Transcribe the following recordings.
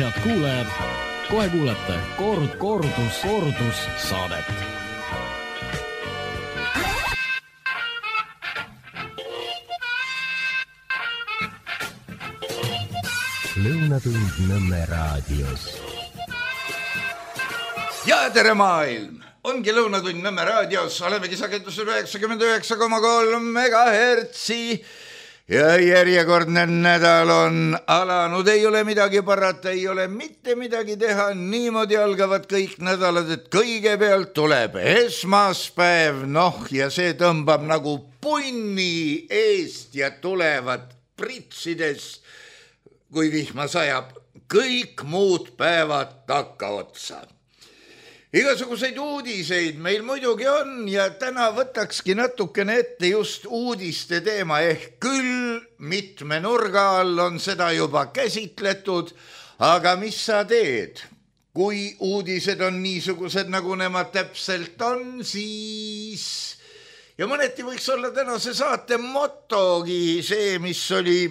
Head kuulajad, kohe kuulete kordus saadet. Lõunatund Nõmme raadios. Ja tere maailm! Ongi Lõunatund Nõmme raadios, olemegi sagedusel 99,3 megahertsi ja järjekordne nädal on alanud. Ei ole midagi parata, ei ole mitte midagi teha, niimoodi algavad kõik nädalad, et kõigepealt tuleb esmaspäev, ja see tõmbab nagu punni eest ja tulevad pritsides, kui vihma sajab, kõik muud päevad takkaotsa. Igasuguseid uudiseid meil muidugi on ja täna võtakski natukene ette just uudiste teema, ehk küll mitme nurga all on seda juba käsitletud, aga mis sa teed? Kui uudised on niisugused, nagu nemad täpselt on, siis... Ja mõneti võiks olla tänase saate motogi see, mis oli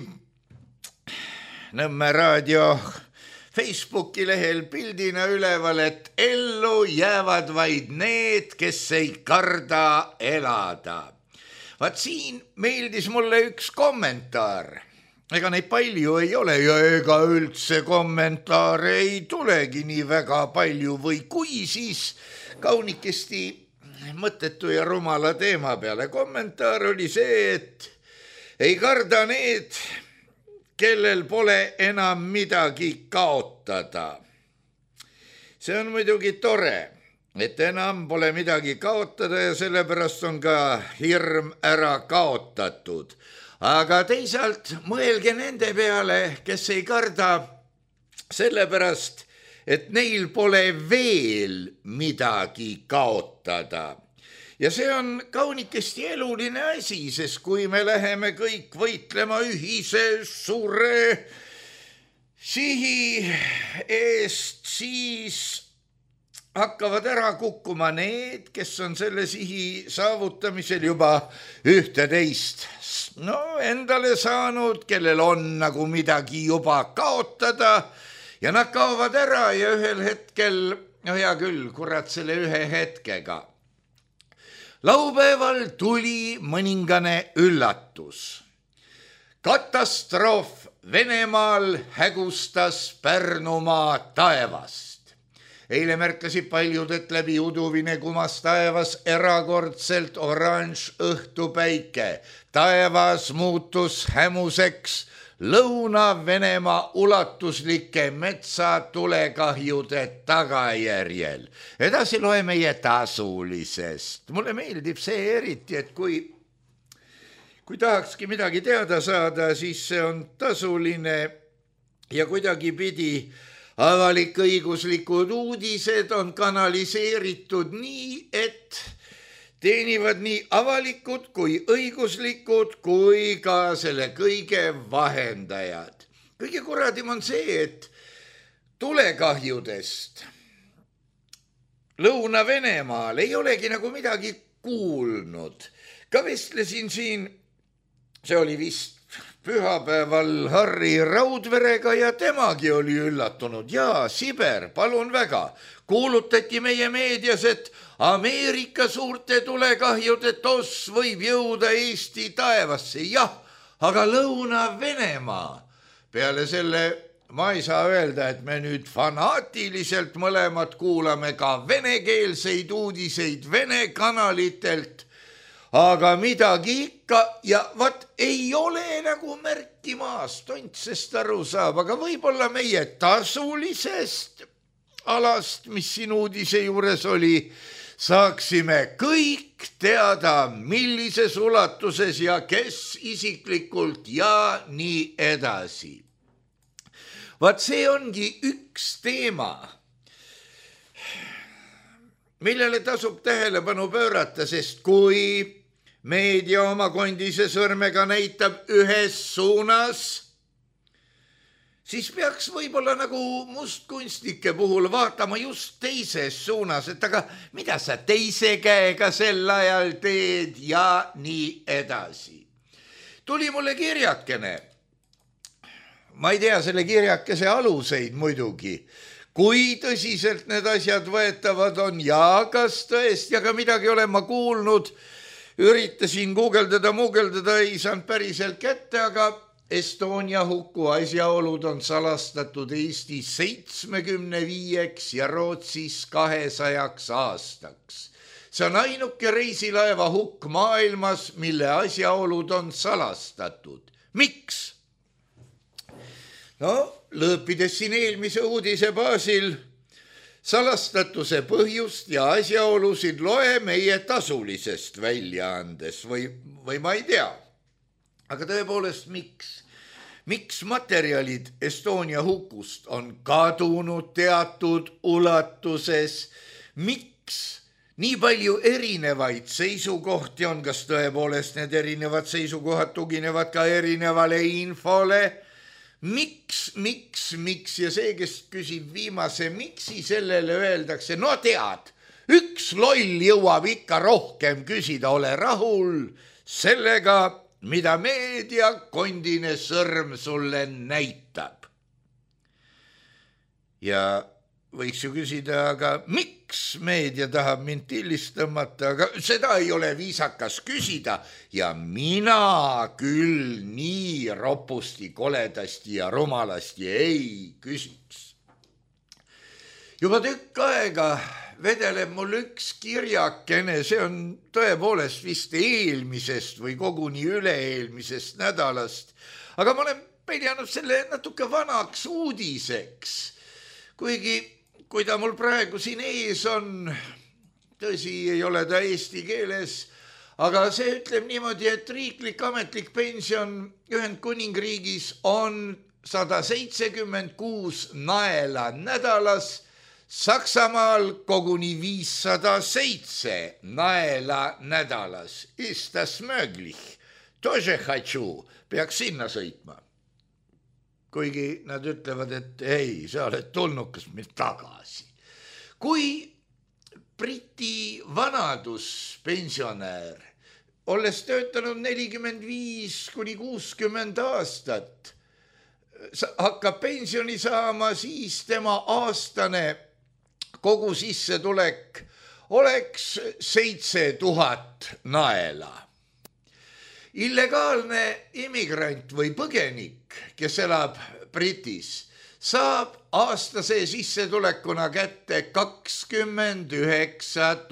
Nõmme raadio Facebooki lehel pildina üleval, et ellu jäävad vaid need, kes ei karda elada. Vaat siin meeldis mulle üks kommentaar. Ega neid palju ei ole ja ega üldse kommentaare ei tulegi nii väga palju või kui siis kaunikesti mõttetu ja rumala teema peale. Kommentaar oli see, et ei karda need, kellel pole enam midagi kaotada. See on muidugi tore, et enam pole midagi kaotada ja sellepärast on ka hirm ära kaotatud. Aga teisalt mõelge nende peale, kes ei karda sellepärast, et neil pole veel midagi kaotada. Ja see on kaunikesti eluline asi, sest kui me läheme kõik võitlema ühise suure sihi eest, siis hakkavad ära kukkuma need, kes on selle sihi saavutamisel juba ühte-teist endale saanud, kellel on nagu midagi juba kaotada ja nad kaovad ära ja ühel hetkel, hea küll, kurat selle ühe hetkega. Laupäeval tuli mõningane üllatus. Katastroof Venemaal hägustas Pärnumaa taevast. Eile märkasid paljud, et läbi uduvine kumas taevas erakordselt oranž õhtupäike. Taevas muutus hämuseks Lõuna-Venemaa ulatuslike metsatulekahjude tagajärjel. Edasi loe meie tasulisest. Mulle meeldib see eriti, et kui tahakski midagi teada saada, siis see on tasuline ja kuidagi pidi avalik-õiguslikud uudised on kanaliseeritud nii, et teenivad nii avalikud kui õiguslikud kui ka selle kõige vahendajad. Kõige kuradim on see, et tulekahjudest Lõuna-Venemaal ei olegi nagu midagi kuulnud. Ka vestlesin siin, see oli vist pühapäeval Harri Raudverega ja temagi oli üllatunud. Jaa, Siber, palun väga. Kuulutati meie meedias, et Ameerika suurte tulekahjude toss võib jõuda Eesti taevasse. Jah, aga Lõuna-Venemaa. Peale selle ma ei saa öelda, et me nüüd fanaatiliselt mõlemad kuulame ka venekeelseid uudiseid Vene kanalitelt, aga midagi ikka ja vat ei ole nagu märki maast, Tontsest aru saab, aga võib-olla meie tasulisest alast, mis siin uudise juures oli, saaksime kõik teada, millises ulatuses ja kes isiklikult ja nii edasi. Vaat see ongi üks teema, millele tasub tähelepanu pöörata, sest kui meedia oma kondise sõrmega näitab ühes suunas, siis peaks võib-olla nagu mustkunstnike puhul vaatama just teises suunas, et aga mida sa teise käega sel ajal teed ja nii edasi. Tuli mulle kirjakene ma ei tea selle kirjakese aluseid muidugi, kui tõsiselt need asjad võetavad on ja kas tõesti, aga midagi olen ma kuulnud, üritasin guugeldada, ei saanud päriselt kätte, aga Estonia huku asjaolud on salastatud Eestis 75 ja Rootsis 200 aastaks. See on ainuke reisilaeva hukk maailmas, mille asjaolud on salastatud. Miks? No, lõõpides siin eelmise uudise baasil salastatuse põhjust ja asjaolusid loe meie tasulisest väljaandes või ma ei tea. Aga tõepoolest, miks materjalid Estonia hukust on kadunud teatud ulatuses? Miks nii palju erinevaid seisukohti on, kas tõepoolest need erinevad seisukohad tuginevad ka erinevale infole? Miks ja see, kes küsib viimase miksi, sellele öeldakse, no tead, üks loll jõuab ikka rohkem küsida, ole rahul sellega, mida meedia kondine sõrm sulle näitab. Ja võiks ju küsida, aga miks meedia tahab mind tillist tõmmata, aga seda ei ole viisakas küsida ja mina küll nii ropusti, koledasti ja rumalasti ei küsiks. Juba tükk aega vedeleb mul üks kirjakene, see on tõepoolest vist eelmisest või koguni üle-eelmisest nädalast, aga ma olen peljanud selle natuke vanaks uudiseks, kuigi kui ta mul praegu siin ees on, tõsi, ei ole ta eesti keeles, aga see ütleb niimoodi, et riiklik ametlik pension Ühendkuningriigis on 176 naela nädalas, Saksamaal koguni 507 naela nädalas. Ist das möglich? Тоже хочу, peaks sinna sõitma. Kuigi nad ütlevad, et ei, sa oled tulnukas meil tagasi. Kui Briti vanaduspensionär, olles töötanud 45 kuni 60 aastat, hakkab pensioni saama, siis tema aastane kogu sissetulek oleks 7000 naela. Illegaalne immigrant või põgenik, kes elab Britis, saab aastase sissetulekuna kätte 29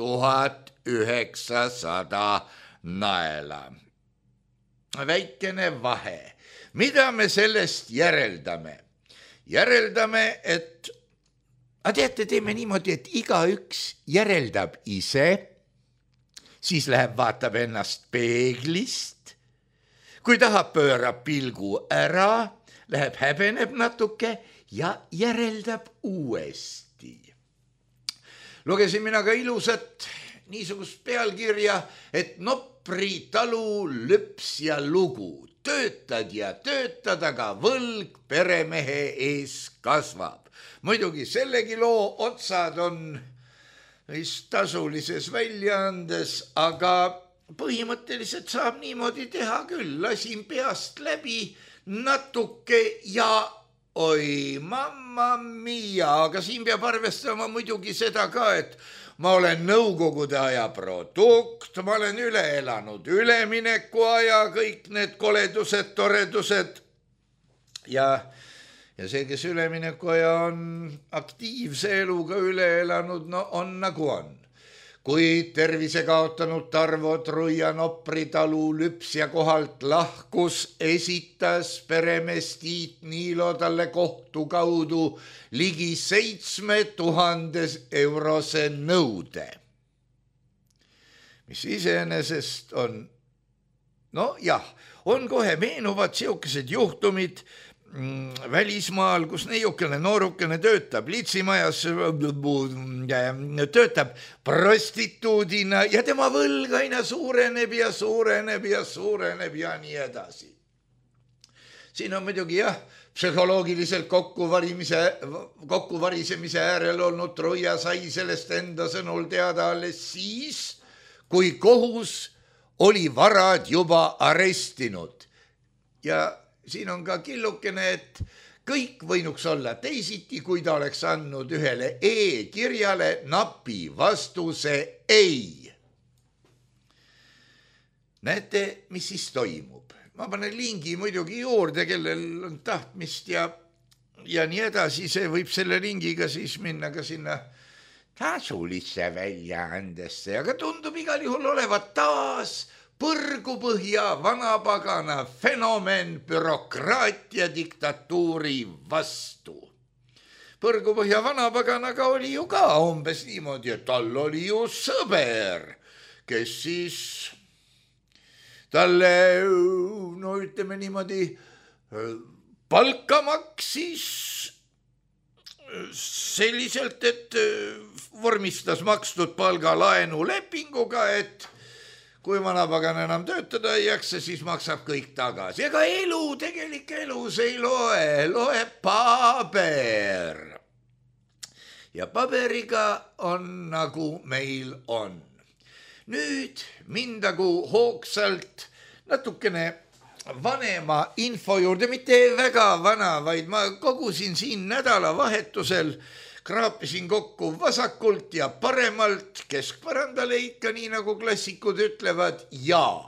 900 naela. Väikene vahe. Mida me sellest järeldame? Järeldame, et teate, teeme niimoodi, et igaüks järeldab ise, siis läheb vaatab ennast peeglist, kui tahab, pöörab pilgu ära, läheb häbeneb natuke ja järeldab uuesti. Lugesin mina ka ilusat niisugust pealkirja, et Nopri talu lüps ja lugu. Töötad ja töötad, aga võlg peremehe ees kasvab. Muidugi sellegi loo otsad on vist tasulises väljaandes, aga põhimõtteliselt saab niimoodi teha küll. Lasin peast läbi natuke ja oi, mamma mia, aga siin peab arvestama muidugi seda ka, et ma olen nõukogude aja produkt, ma olen üle elanud ülemineku aja, kõik need koledused, toredused ja see, kes ülemineku aja on aktiivse eluga üle elanud, no on nagu on. Kui tervise kaotanud Tarvo Truia Nopri talu lüpsja kohalt lahkus, esitas peremees Tiit Niilo talle kohtu kaudu ligi 7000 eurose nõude. Mis iseenesest on, no jah, on kohe meenuvad siukesed juhtumid välismaal, kus neiukene noorukene töötab litsimajas, töötab prostituudina ja tema võlg aina suureneb ja suureneb ja suureneb ja nii edasi. Siin on muidugi jah, psühholoogiliselt kokkuvarisemise äärel olnud Truia sai sellest enda sõnul teada alles siis, kui kohus oli varad juba arestinud. Ja siin on ka killukene, et kõik võinuks olla teisiti, kui ta oleks andnud ühele e-kirjale napi vastuse ei. Näete, mis siis toimub? Ma panen lingi muidugi juurde, kellel on tahtmist ja nii edasi, see võib selle lingiga siis minna ka sinna tasulisse väljaandesse, aga tundub igal juhul olevat taas põrgupõhja vanapagana fenomen bürokraatia diktatuuri vastu. Põrgupõhja vanapaganaga oli ju ka umbes niimoodi, et tal oli ju sõber, kes siis talle, no ütleme niimoodi, palka maksis selliselt, et vormistas makstud palga laenu lepinguga, et kui vanapagan enam töötada ei jaksa, siis maksab kõik tagasi. Ega elu, tegelik elus ei loe paber. Ja paberiga on nagu meil on. Nüüd mindagu hoogsalt natukene vanema info juurde, mitte väga vana, vaid ma kogusin siin nädalavahetusel, kraapisin kokku vasakult ja paremalt, keskpõrandale ikka, nii nagu klassikud ütlevad, ja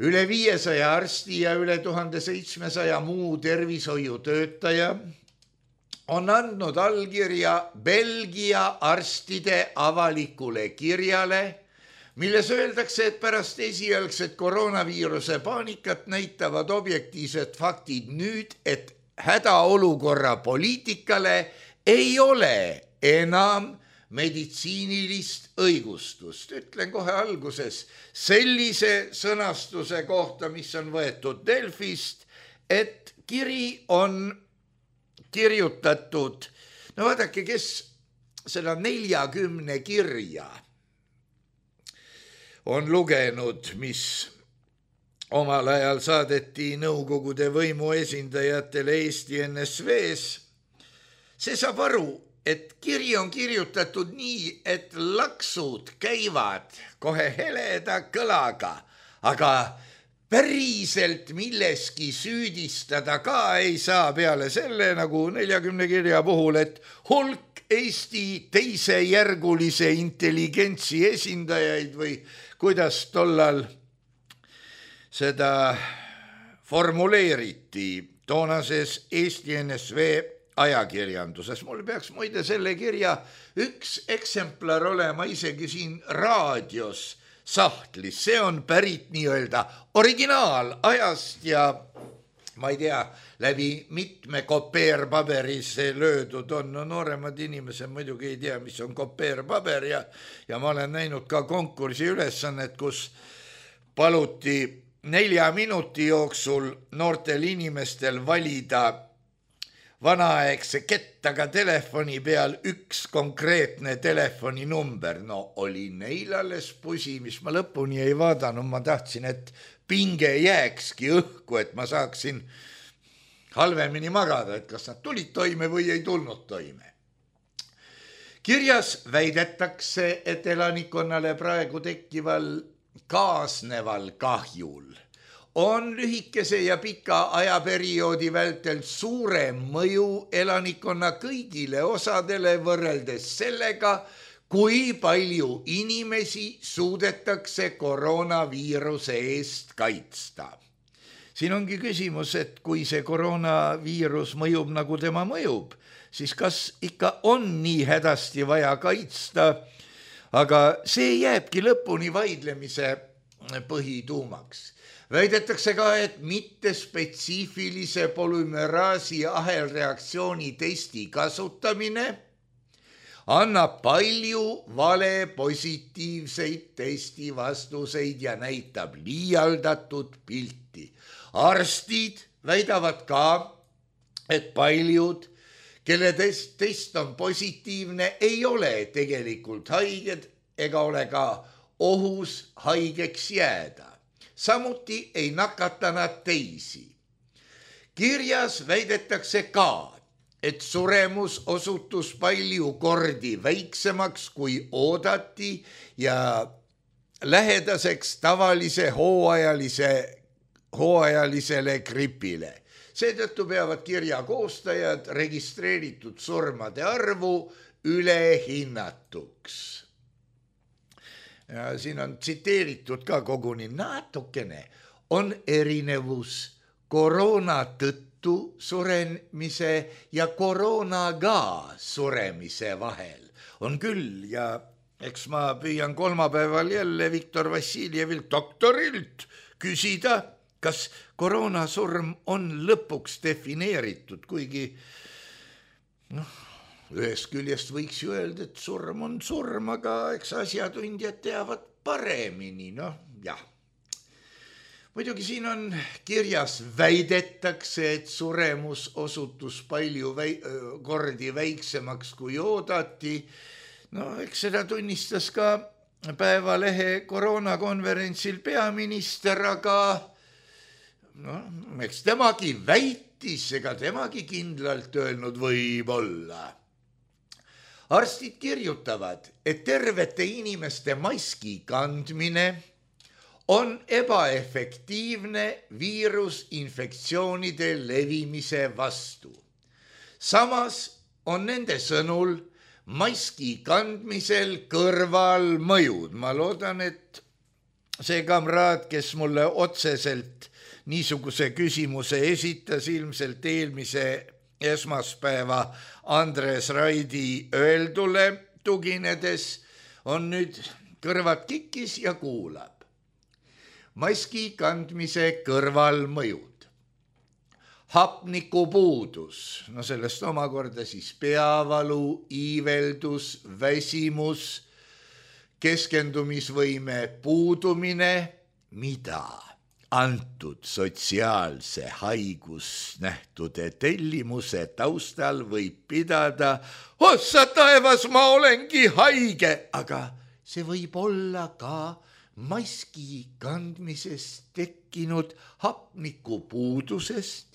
üle 500 arsti ja üle 1700 muu tervishoiutöötaja on andnud allkirja Belgia arstide avalikule kirjale, milles öeldakse, et pärast esialgset koroonaviiruse paanikat näitavad objektiivsed faktid nüüd, et hädaolukorra poliitikale ei ole enam meditsiinilist õigustust. Ütlen kohe alguses sellise sõnastuse kohta, mis on võetud Delfist, et kiri on kirjutatud, no vaadake, kes seda 40 kirja on lugenud, mis omal ajal saadeti Nõukogude võimu esindajatele Eesti NSV-s, see saab aru, et kiri on kirjutatud nii, et laksud käivad kohe heleda kõlaga, aga päriselt milleski süüdistada ka ei saa peale selle, nagu 40 kirja puhul, et hulk Eesti teisejärgulise intelligentsi esindajaid või kuidas tollal seda formuleeriti toonases Eesti NSV ajakirjanduses. Mul peaks muide selle kirja üks eksemplar olema isegi siin raadios sahtlis. See on pärit nii-öelda originaalajast ja ma ei tea, läbi mitme kopeerpaberi see löödud on. No nooremad inimesed muidugi ei tea, mis on kopeerpaber ja ma olen näinud ka konkursi ülesannet, kus paluti 4 minuti jooksul noortel inimestel valida vanaaegse kettaga telefoni peal üks konkreetne telefoninumber. No oli neil alles pusi, mis ma lõpuni ei vaadanud. Ma tahtsin, et pinge jääkski õhku, et ma saaksin halvemini magada, et kas nad tulid toime või ei tulnud toime. Kirjas väidetakse, et elanikkonnale praegu tekkival kaasneval kahjul on lühikese ja pika ajaperioodi vältel suurem mõju elanikkonna kõigile osadele võrreldes sellega, kui palju inimesi suudetakse koroonaviiruse eest kaitsta. Siin ongi küsimus, et kui see koroonaviirus mõjub nagu tema mõjub, siis kas ikka on nii hädasti vaja kaitsta, aga see jääbki lõpuni vaidlemise põhituumaks. Väidetakse ka, et mitte spetsiifilise polümeraasi ahelreaktsiooni testi kasutamine annab palju vale positiivseid testivastuseid ja näitab liialdatud pilti. Arstid väidavad ka, et paljud, kelle test on positiivne, ei ole tegelikult haiged ega ole ka ohus haigeks jääda. Samuti ei nakata nad teisi. Kirjas väidetakse ka, et suremus osutus palju kordi väiksemaks kui oodati ja lähedaseks tavalise hooajalisele gripile. Seetõttu peavad kirja koostajad registreeritud surmade arvu ülehinnatuks. Ja siin on tsiteeritud ka koguni natukene. On erinevus koroona tõttu suremise ja koroonaga suremise vahel. On küll ja eks ma püüan kolmapäeval jälle Viktor Vassiljevilt doktorilt küsida, kas koroonasurm on lõpuks defineeritud, kuigi ühest küljest võiks ju öelda, et surm on surm, aga eks asjatundjad teavad paremini, jah. Muidugi siin on kirjas väidetakse, et suremus osutus palju kordi väiksemaks kui oodati. Eks seda tunnistas ka Päevalehe koroonakonverentsil peaminister, aga eks temagi väitis, ega temagi kindlalt öelnud võib-olla. Arstid kirjutavad, et tervete inimeste maski kandmine on ebaefektiivne viirusinfektsioonide levimise vastu. Samas on nende sõnul maski kandmisel kõrvalmõjud. Ma loodan, et see kamraad, kes mulle otseselt niisuguse küsimuse esitas, ilmselt eelmise esmaspäeva Andres Raidi öeldule tuginedes, on nüüd kõrvad kikis ja kuulab. Maski kandmise kõrvalmõjud. Hapnikupuudus, sellest omakorda siis peavalu, iiveldus, väsimus, keskendumisvõime puudumine, mida antud sotsiaalse haigusnähtude tellimuse taustal võib pidada, ossa taevas, ma olengi haige, aga see võib olla ka maski kandmisest tekkinud hapnikupuudusest,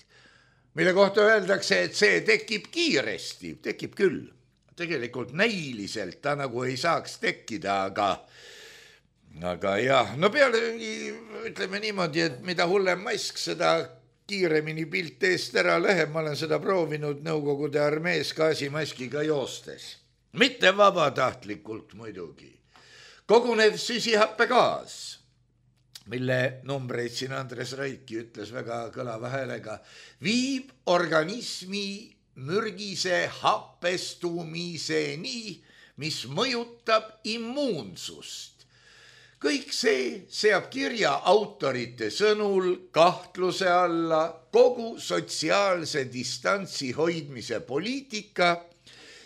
mille kohta öeldakse, et see tekib kiiresti, tekib küll. Tegelikult näiliselt ta nagu ei saaks tekkida, aga jah, pealegi ütleme niimoodi, et mida hullem mask, seda kiiremini pilt eest ära läheb. Ma olen seda proovinud Nõukogude armees gaasimaskiga joostes. Mitte vabatahtlikult muidugi. Kogunev süsihappegaas, mille numbreid siin Andres Raidki ütles väga kõlava häälega, viib organismi mürgise happestumiseni, mis mõjutab immuunsust. Kõik see seab kirja autorite sõnul kahtluse alla kogu sotsiaalse distantsi hoidmise poliitika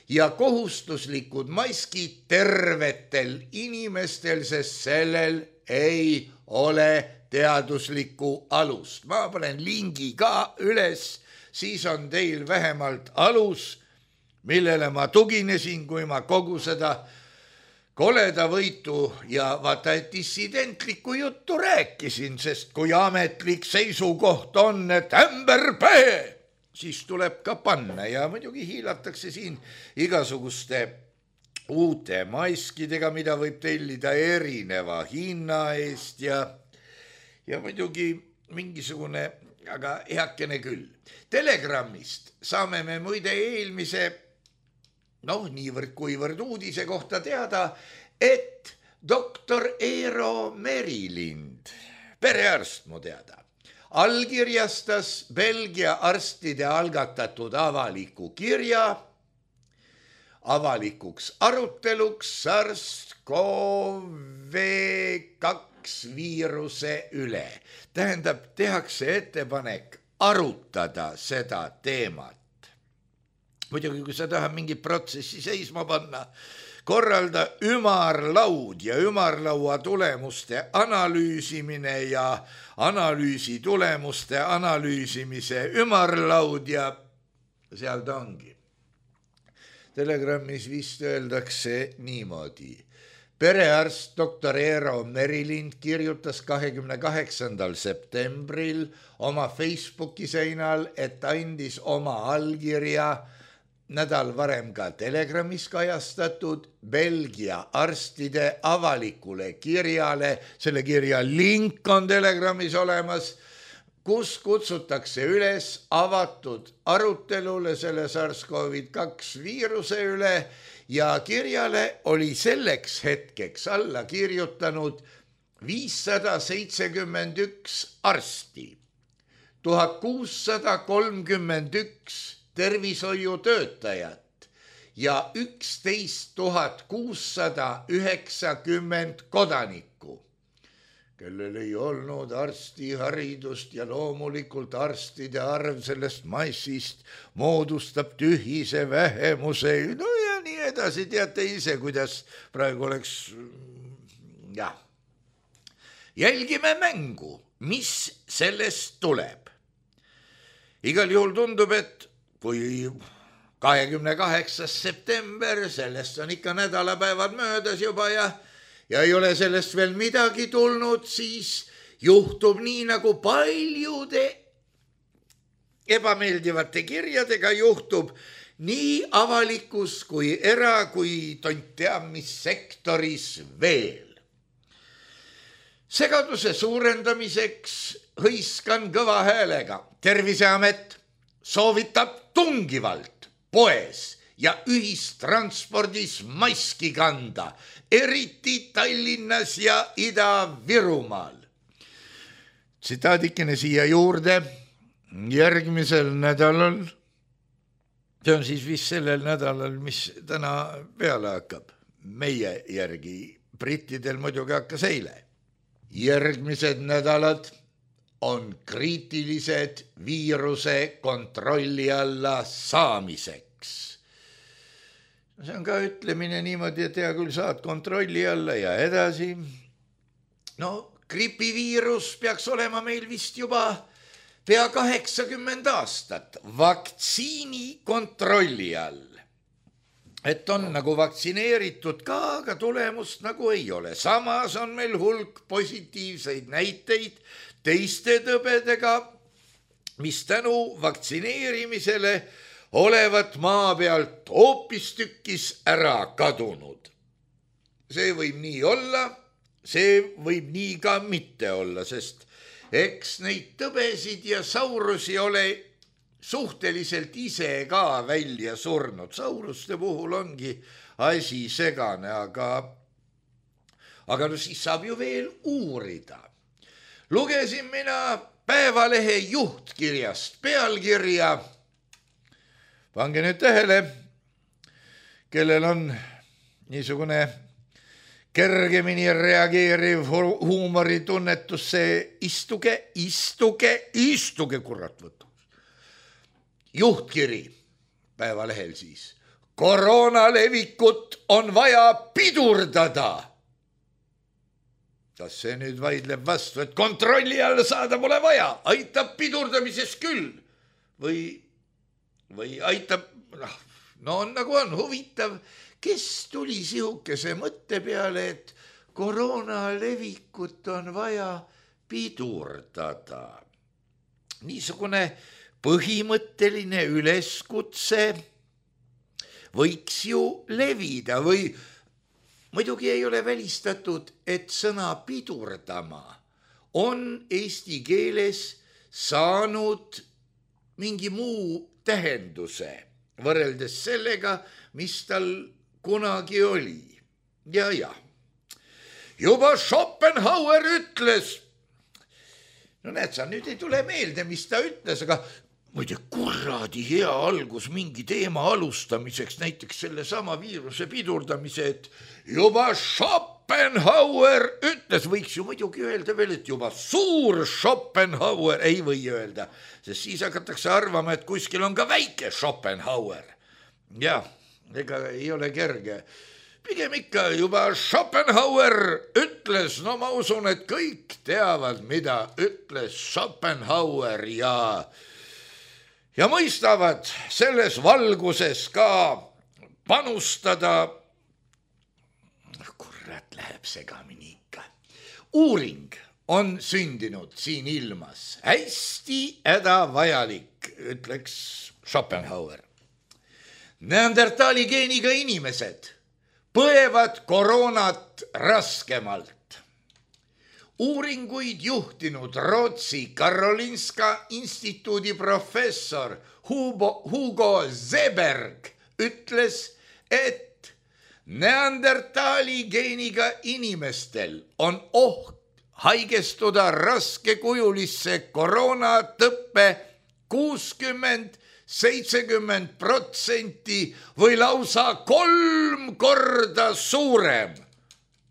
ja kohustuslikud maskid tervetel inimestel, sest sellel ei ole teaduslikku alust. Ma panen lingi ka üles, siis on teil vähemalt alus, millele ma tuginesin, kui ma kogu seda koleda võitu ja vaata, et dissidentlikku juttu rääkisin, sest kui ametlik seisukoht on, et ämberpäe, siis tuleb ka panna ja muidugi hiilatakse siin igasuguste uute maskidega, mida võib tellida erineva hinna eest ja muidugi mingisugune, aga heakene küll. Telegrammist saame me muide eelmise, niivõrd-kuivõrd uudise kohta teada, et doktor Eero Merilind, perearst mu teada, allkirjastas Belgia arstide algatatud avaliku kirja avalikuks aruteluks SARS-CoV-2 viiruse üle. Tähendab, tehakse ettepanek arutada seda teemat. Muidugi, kui sa tahad mingi protsessi seisma panna, korralda ümarlaud ja ümarlaua tulemuste analüüsimine ja analüüsi tulemuste analüüsimise ümarlaud ja seal ta ongi. Telegrammis vist öeldakse niimoodi. Perearst doktor Eero Merilind kirjutas 28. septembril oma Facebooki seinal, et andis oma allkirja nädal varem ka Telegrammis kajastatud Belgia arstide avalikule kirjale. Selle kirja link on Telegrammis olemas. kus kutsutakse üles avatud arutelule selle SARS-CoV-2 viiruse üle ja kirjale oli selleks hetkeks alla kirjutanud 571 arsti, 1631 tervishoiutöötajat ja 11 690 kodanikku, kellel ei olnud arstiharidust ja loomulikult arstide arv sellest massist moodustab tühise vähemuse, no ja nii edasi, teate ise, kuidas praegu oleks, jah. Jälgime mängu, mis sellest tuleb. Igal juhul tundub, et kui 28. september, sellest on ikka nädalapäevad möödas juba ja ei ole sellest veel midagi tulnud, siis juhtub nii nagu paljude ebameeldivate kirjadega juhtub nii avalikus kui kui tont teab mis sektoris veel. Segaduse suurendamiseks hõiskan kõva häälega. Terviseamet soovitab tungivalt poes ja ühistranspordis maski kanda, eriti Tallinnas ja Ida-Virumaal. Tsitaadikene siia juurde. Järgmisel nädalal, see on siis vist sellel nädalal, mis täna peale hakkab, meie järgi, brittidel muidugi hakkas eile. Järgmised nädalad on kriitilised viiruse kontrolli alla saamiseks. See on ka ütlemine niimoodi, et hea küll saad kontrolli alla ja edasi. No, gripiviirus peaks olema meil vist juba pea 80 aastat vaktsiini kontrolli all. Et on nagu vaktsineeritud ka, aga tulemust nagu ei ole. Samas on meil hulk positiivseid näiteid teiste tõbedega, mis tänu vaktsineerimisele olevat maa pealt hoopistükkis ära kadunud. See võib nii olla, see võib nii ka mitte olla, sest eks neid tõbesid ja saurusi ole suhteliselt ise ka välja surnud. Sauruste puhul ongi asi segane, aga no siis saab ju veel uurida. Lugesin mina Päevalehe juhtkirjast pealkirja. Pange nüüd tähele, kellel on niisugune kergemini reageeriv huumoritunnetus, see istuge, kurat võttu. Juhtkiri Päevalehel siis. Koroona levikut on vaja pidurdada. Kas see nüüd vaidleb vastu, et kontrolli alla saada pole vaja? Aitab pidurdamises küll. Või aitab, no on nagu on huvitav, kes tuli sihukese mõtte peale, et koroona levikut on vaja pidurdada. Niisugune põhimõtteline üleskutse võiks ju levida või muidugi ei ole välistatud, et sõna pidurdama on eesti keeles saanud mingi muu tähenduse võrreldes sellega, mis tal kunagi oli. Ja. Juba Schopenhauer ütles, no näed sa, nüüd ei tule meelde, mis ta ütles, aga muide kuradi hea algus mingi teema alustamiseks, näiteks selle sama viiruse pidurdamise, et juba Schopenhauer ütles, võiks ju muidugi öelda veel, et juba suur Schopenhauer, ei või öelda, sest siis hakatakse arvama, et kuskil on ka väike Schopenhauer. Ja, ega ei ole kerge. Pigem ikka juba Schopenhauer ütles, no ma usun, et kõik teavad, mida ütles Schopenhauer ja mõistavad selles valguses ka panustada. Kurat, läheb segamini ikka. Uuring on sündinud siin ilmas. Hästi hädavajalik, ütleks Schopenhauer. Neandertali geeniga inimesed põevad koroonat raskemalt. uuringuid juhtinud Rootsi Karolinska instituudi professor Hugo Seberg ütles, et neandertaali geeniga inimestel on oht haigestuda raskekujulisse koroonatõppe 60-70% või lausa 3 korda suurem.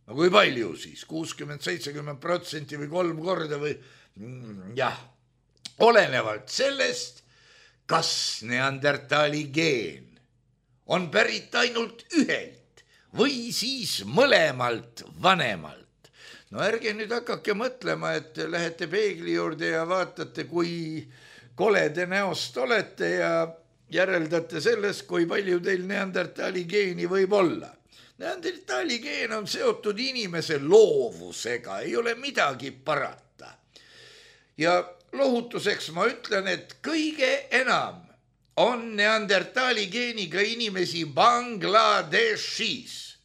No kui palju siis? 60-70% või 3 korda või jah, olenevalt sellest, kas neandertaali geen on pärit ainult ühelt või siis mõlemalt vanemalt. No ärge nüüd hakake mõtlema, et lähete peegli juurde ja vaatate, kui kolede näost olete ja järeldate sellest, kui palju teil neandertaali geeni võib olla. Neandertaali geen on seotud inimese loovusega, ei ole midagi parata. Ja lohutuseks ma ütlen, et kõige enam on neandertaali geeniga inimesi Bangladeshis,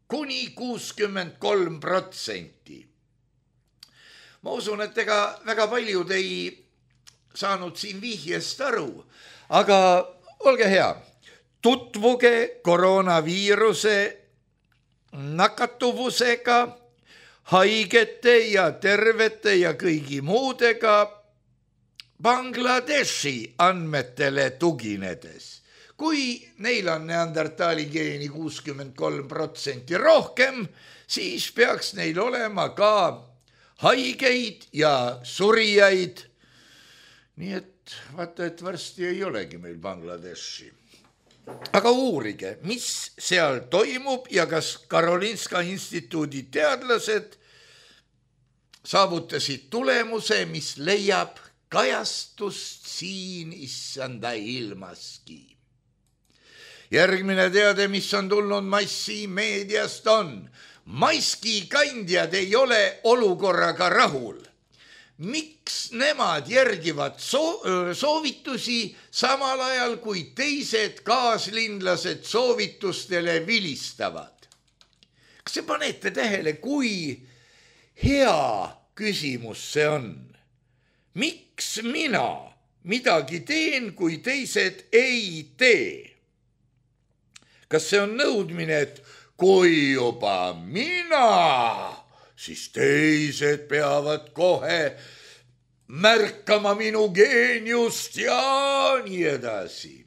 kuni 63%. Ma usun, et ega väga paljud ei saanud siin vihjest aru, aga olge hea, tutvuge koroonaviiruse nakatuvusega, haigete ja tervete ja kõigi muudega Bangladeshi andmetele tuginedes. Kui neil on neandertaali geeni 63% rohkem, siis peaks neil olema ka haigeid ja surijaid. Nii et vaata, et varsti ei olegi meil Bangladeshi. Aga uurige, mis seal toimub ja kas Karolinska instituudi teadlased saavutasid tulemuse, mis leiab kajastust siin issanda ilmaski. Järgmine teade, mis on tulnud massimeediast on. Maskikandjad ei ole olukorraga rahul. Miks nemad järgivad soovitusi samal ajal, kui teised kaaslinlased soovitustele vilistavad? Kas te panete tähele, kui hea küsimus see on? Miks mina midagi teen, kui teised ei tee? Kas see on nõudmine, et kui juba mina, siis teised peavad kohe märkama minu geeniust ja nii edasi.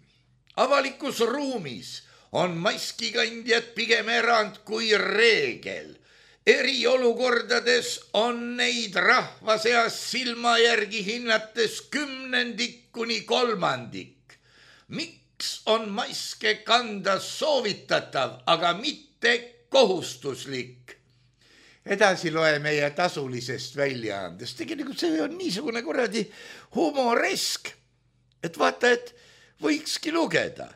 Avalikus ruumis on maskikandjad pigem erand kui reegel. Eriolukordades on neid rahva seas silma järgi hinnates 10 kuni 3. Miks on maske kanda soovitatav, aga mitte kohustuslik? Edasi loe meie tasulisest väljaandest. Tegelikult see on niisugune kuradi humoresk, et vaata, et võikski lugeda.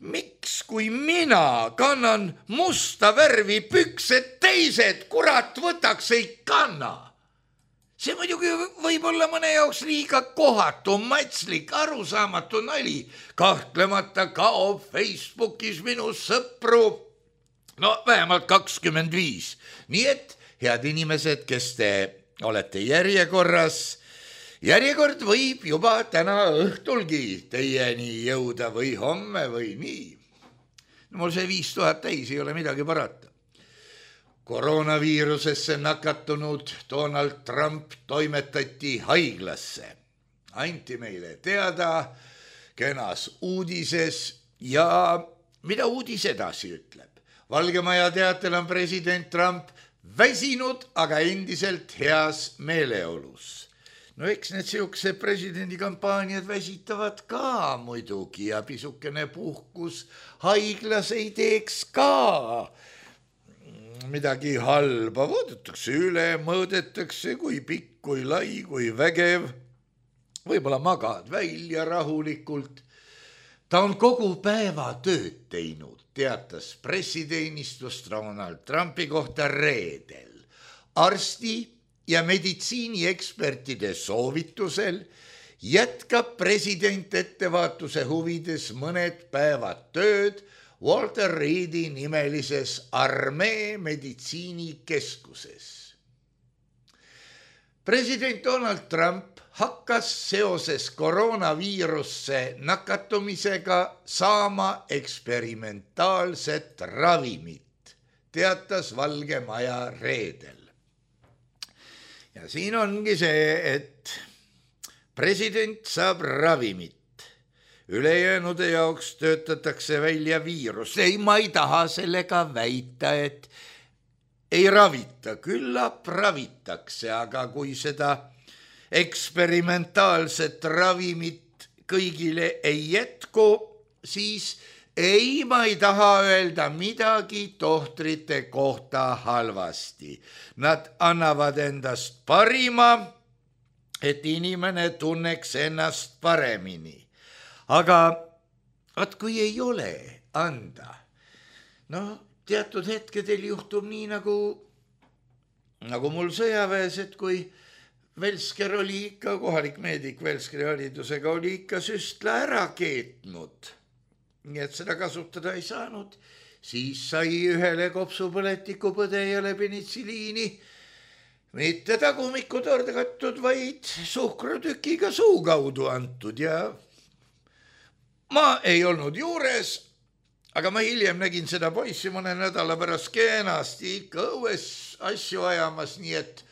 Miks, kui mina kannan musta värvi püksed, teised kurat võtaks ei kanna? See muidugi võib olla mõne jaoks liiga kohatu, matslik, arusaamatu nali. Kahtlemata kaob Facebookis minu sõpru vähemalt 25. Nii et, head inimesed, kes te olete järjekorras, järjekord võib juba täna õhtulgi teieni jõuda või homme või nii. Mul see 5000 täis ei ole midagi parata. Koroonaviirusesse nakatunud Donald Trump toimetati haiglasse. Anti meile teada kenas uudises ja mida uudis edasi ütleb. Valgemaja teatel on president Trump väsinud, aga endiselt heas meeleolus. No eks need siukse presidendikampaaniad väsitavad ka muidugi ja pisukene puhkus haiglas ei teeks ka midagi halba. Vaadatakse üle, mõõdetakse, kui pikk, kui lai, kui vägev. Võib-olla magad välja rahulikult. Ta on kogu päeva tööd teinud, teatas pressiteenistus Donald Trumpi kohta reedel. Arsti ja meditsiiniekspertide soovitusel jätkab president ettevaatuse huvides mõned päevad tööd Walter Reedi nimelises armee meditsiinikeskuses. President Donald Trump hakkas seoses koroonaviirusse nakatumisega saama eksperimentaalset ravimit, teatas Valge Maja reedel. Ja siin ongi see, et president saab ravimit. Ülejäänude jaoks töötatakse välja viirus. Ei, ma ei taha sellega väita, et ei ravita, küllap ravitakse, aga kui seda eksperimentaalset ravimit kõigile ei jätku, siis ei, ma ei taha öelda midagi tohtrite kohta halvasti. Nad annavad endast parima, et inimene tunneks ennast paremini. Aga vaat kui ei ole anda, teatud hetkedel juhtub nii nagu mul sõjaväes, et kui Velsker oli ikka, kohalik meedik Velskri haridusega, oli ikka süstla ära keetnud, nii et seda kasutada ei saanud, siis sai ühele kopsupõletikupõdejale penitsiliini mitte tagumikku torgatud, vaid suhkrutükiga suu kaudu antud ja ma ei olnud juures, aga ma hiljem nägin seda poissi mõne nädala pärast kenasti ikka õues asju ajamas, nii et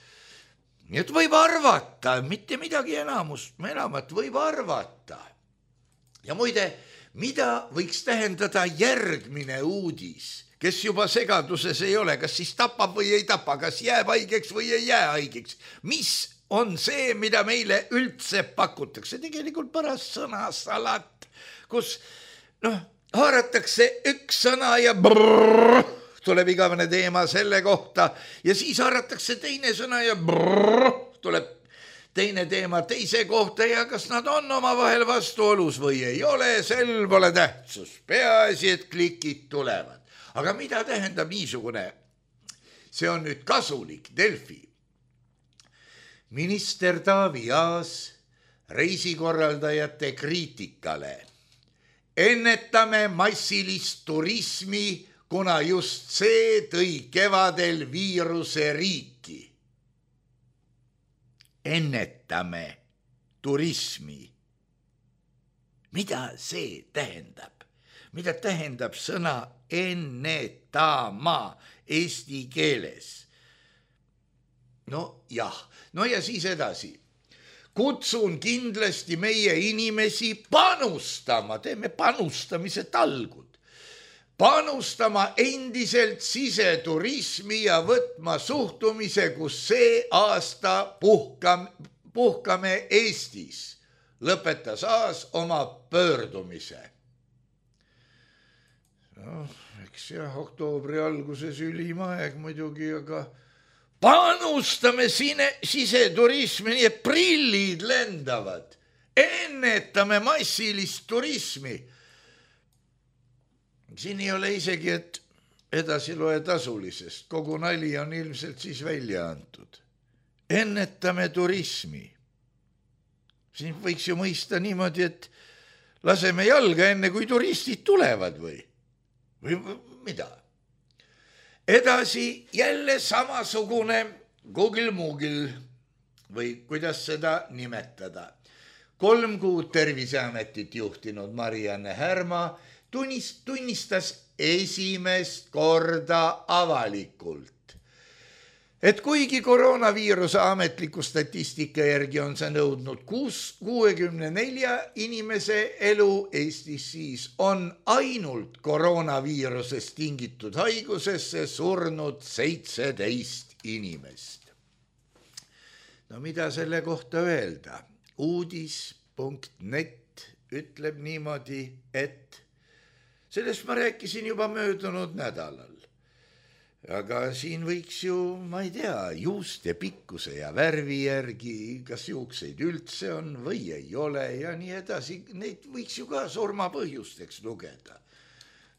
võib arvata, mitte midagi enamat võib arvata. Ja muide, mida võiks tähendada järgmine uudis, kes juba segaduses ei ole, kas siis tapab või ei tapa, kas jääb haigeks või ei jää haigeks, mis on see, mida meile üldse pakutakse, tegelikult paras sõnasalat, kus haaratakse üks sõna ja brrr, tuleb igavene teema selle kohta ja siis haaratakse teine sõna ja brrr, tuleb teine teema teise kohta ja kas nad on omavahel vastuolus või ei ole, sel pole tähtsus. Peaasi, et klikid tulevad. Aga mida tähendab niisugune? See on nüüd kasulik Delfi. Minister Taavi Aas reisikorraldajate kriitikale. Ennetame massilist turismi, kuna just see tõi kevadel viiruse riiki. Ennetame turismi. Mida see tähendab? Mida tähendab sõna ennetama eesti keeles? Ja siis edasi. Kutsun kindlasti meie inimesi panustama, teeme panustamise talgud, panustama endiselt siseturismi ja võtma suhtumise, kus see aasta puhkame Eestis, lõpetas Aas oma pöördumise. Eks oktoobri alguses ülim aeg muidugi, aga panustame siseturismi, nii et prillid lendavad. Ennetame massilist turismi. Siin ei ole isegi, et edasi loe tasulisest. Kogu nali on ilmselt siis välja antud. Ennetame turismi. Siin võiks ju mõista niimoodi, et laseme jalga enne, kui turistid tulevad või mida? Edasi jälle samasugune Google-Moogil või kuidas seda nimetada. 3 kuud Terviseametit juhtinud Mari-Anne Härma tunnistas esimest korda avalikult, et kuigi koroonaviiruse ametliku statistika järgi on see nõudnud 64 inimese elu Eestis, siis on ainult koroonaviirusest tingitud haigusesse surnud 17 inimest. Mida selle kohta öelda? Uudis.net ütleb niimoodi, et sellest ma rääkisin juba möödunud nädalal. Aga siin võiks ju, ma ei tea, juuste pikkuse ja värvi järgi, kas juukseid üldse on või ei ole ja nii edasi, neid võiks ju ka surmapõhjusteks lugeda.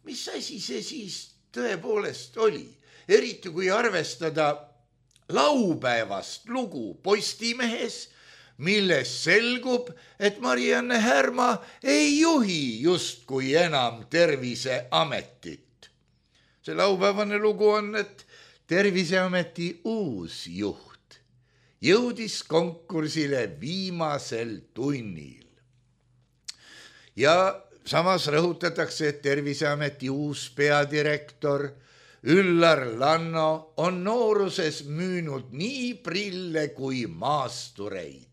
Mis asi see siis tõepoolest oli? Eriti kui arvestada laupäevast lugu Postimehes, milles selgub, et Mari-Anne Härma ei juhi justkui enam Terviseametit. See laupäevane lugu on, et Terviseameti uus juht jõudis konkursile viimasel tunnil. Ja samas rõhutatakse, et Terviseameti uus peadirektor Üllar Lanno on nooruses müünud nii prille kui maastureid,